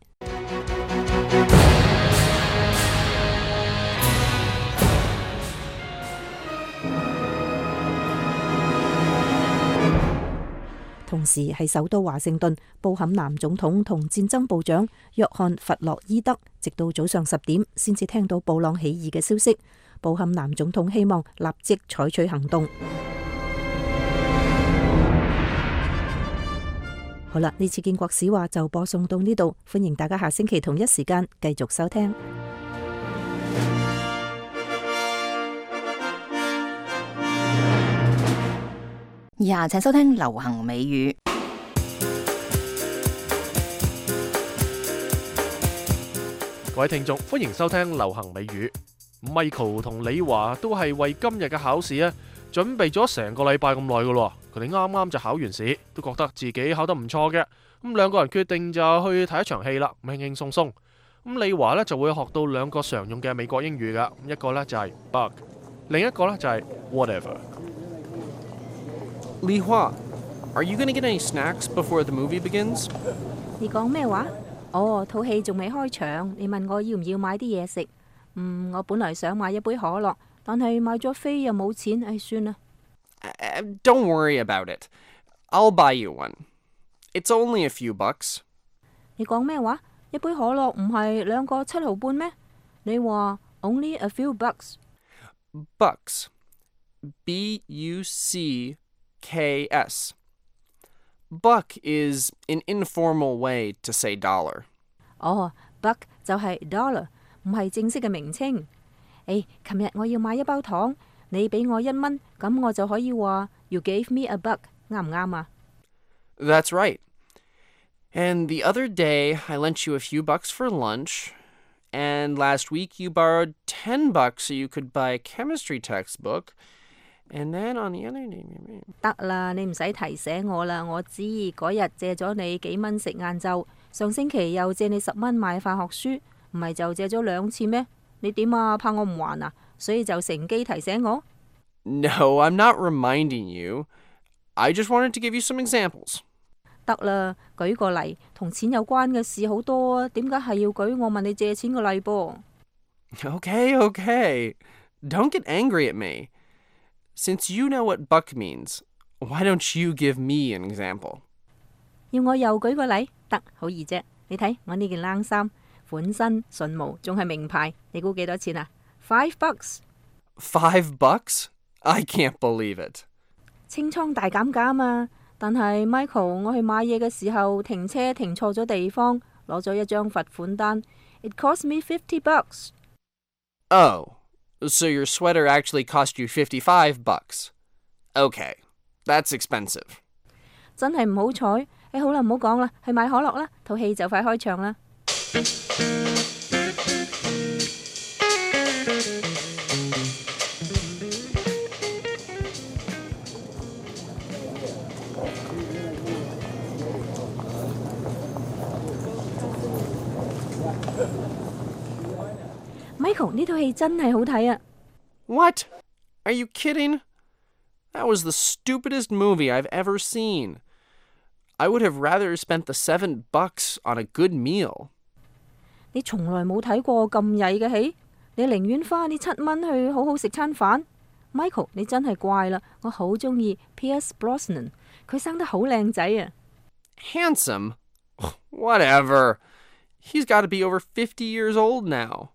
同時喺首都華盛頓，布坎南總統同戰爭部長約翰弗洛伊德直到早上10點先至聽到布朗起義嘅消息。布坎南總統希望立即採取行動。好啦，呢次建國史話就播送到呢度，歡迎大家下星期同一時間繼續收聽。以下請收聽流行美語。各位聽眾，歡迎收聽流行美語。Michael 同李華都係為今日嘅考試準備咗成個禮拜咁耐噶咯。佢哋啱啱就考完試，都覺得自己考得唔錯嘅。咁2個人決定就去睇一場戲啦，輕輕鬆鬆。咁李華就會學到2個常用嘅美國英語噶，一個就係 bug， 另一個就係 whatever。Li Hua, are you going to get any snacks before the movie begins? 你講咩話？哦，套戲仲未開場，你問我要唔要買啲嘢食？我本來想買一杯可樂，但係買咗飛又冇錢，唉，算啦。Don't worry about it. I'll buy you one. It's only a few bucks. 你講咩話？一杯可樂唔係2個7毫半咩？你話 only a few bucks? Bucks. B-U-C-K-S. Buck is an informal way to say dollar. 哦，buck 就係 dollar， 唔係正式嘅名稱。琴日我要買一包糖，你俾我1蚊，咁我就可以話 You gave me a buck， 啱唔啱啊？ That's right. And the other day I lent you a few bucks for lunch, and last week you borrowed $10 so you could buy a chemistry textbook, and then on the other day... 得啦，你唔使提醒我啦，我知嗰日借咗你幾蚊食晏晝，上星期又借你10蚊買化學書，唔係就借咗2次咩？你點啊？怕我唔還啊？所以就乘機提醒我。No, I'm not reminding you. I just wanted to give you some examples. 得啦，舉個例，同錢有關嘅事好多啊，點解係要舉我問你借錢嘅例噃？ Okay. Don't get angry at me. Since you know what buck means, why don't you give me an example? 要我又舉個例？得，好易啫。你睇我呢件冷衫，款新純無，仲係名牌。你估幾多錢啊？$5。$5? I can't believe it. 清倉大減價啊嘛！但係 Michael， 我去買嘢嘅時候停車停錯咗地方，攞咗一張罰款單。It cost me $50. Oh, so your sweater actually cost you $55. Okay, that's expensive. 真係唔好彩。好啦，唔好講啦，去買可樂啦，套戲就快開場啦。Michael， 呢套戲真係好睇啊！ What? Are you kidding? That was the stupidest movie I've ever seen. I would have rather spent the $7 on a good meal. 你從來冇睇過咁曳嘅戲，你寧願花呢$7去好好食餐飯。Michael， 你真係怪啦，我好中意 Pierce Brosnan， 佢生得好靚仔啊。Handsome? Whatever. He's got to be over 50 years old now.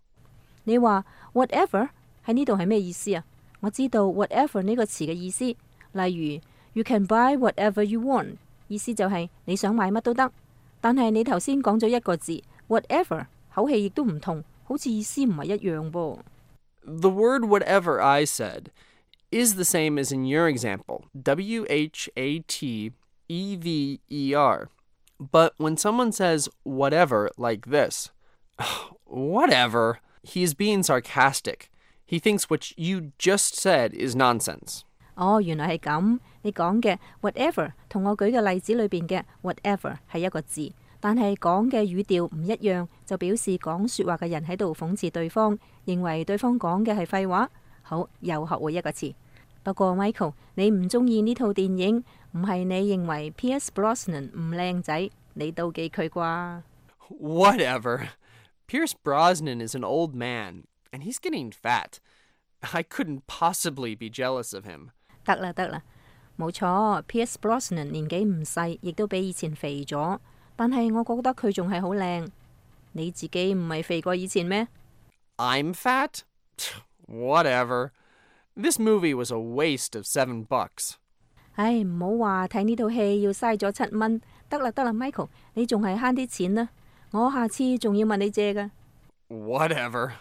你話 whatever 喺呢度係咩意思啊？我知道 whatever 呢個詞嘅意思，例如 You can buy whatever you want， 意思就係你想買乜都得。但係你頭先講咗一個字 whatever， 口氣亦都唔同，好似意思唔係一樣噃。The word whatever I said is the same as in your example, WHATEVER. But when someone says whatever like this, whatever, he's being sarcastic. He thinks what you just said is nonsense. 哦，原來係咁。你講嘅 whatever 同我舉嘅例子裏邊嘅 whatever 係一個字，但係講嘅語調唔一樣，就表示講說話嘅人喺度諷刺對方，認為對方講嘅係廢話。好，又學會一個詞。不過 Michael， 你唔中意呢套電影，唔係你認為 Pierce Brosnan 唔靚仔，你妒忌佢啩 ？Whatever. Pierce Brosnan is an old man, and he's getting fat. I couldn't possibly be jealous of him. 得啦，冇錯 ，Pierce Brosnan 年紀唔細，亦都比以前肥咗。但係我覺得佢仲係好靚。你自己唔係肥過以前咩？ I'm fat? Whatever. This movie was a waste of $7. 唉，唔好話睇呢套戲要嘥咗$7。得啦，Michael， 你仲係慳啲錢啦。我下次仲要問你借㗎。Whatever。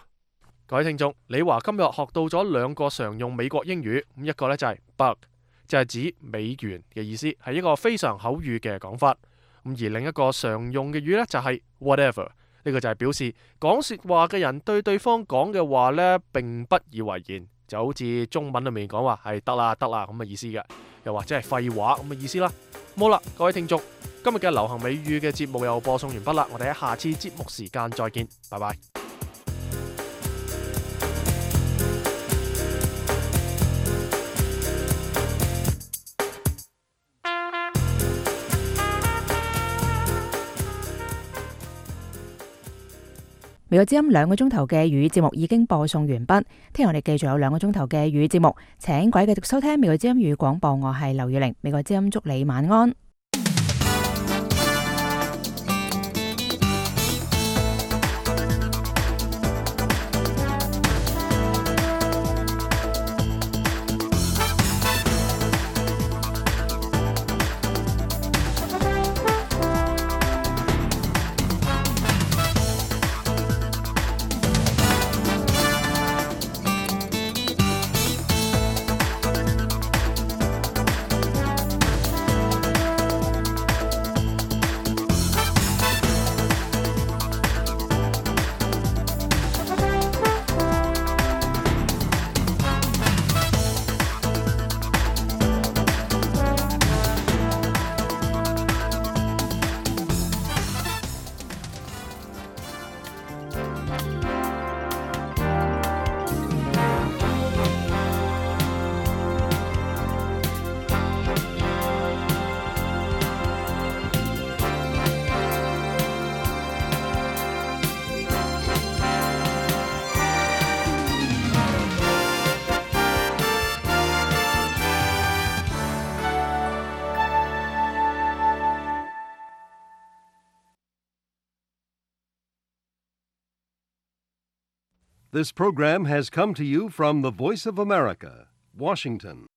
各位聽眾，李華今日學到咗2個常用美國英語，一個呢就係 buck， 就係指美元嘅意思，係一個非常口語嘅講法。而另一個常用嘅語呢，就係 whatever， 呢個就係表示講說話嘅人對對方講嘅話呢並不以為然，就好似中文裏面講話係得啦咁嘅意思嘅，又或者係廢話咁嘅意思啦。好啦，各位聽眾，今日嘅流行美語嘅節目又播送完畢啦，我哋喺下次節目時間再見，拜拜。美國之音2個鐘頭嘅粵語節目已經播送完畢，聽日我哋繼續有2個鐘頭嘅粵語節目，請各位繼續收聽美國之音粵語廣播，我係劉雨玲，美國之音祝你晚安。This program has come to you from the Voice of America, Washington.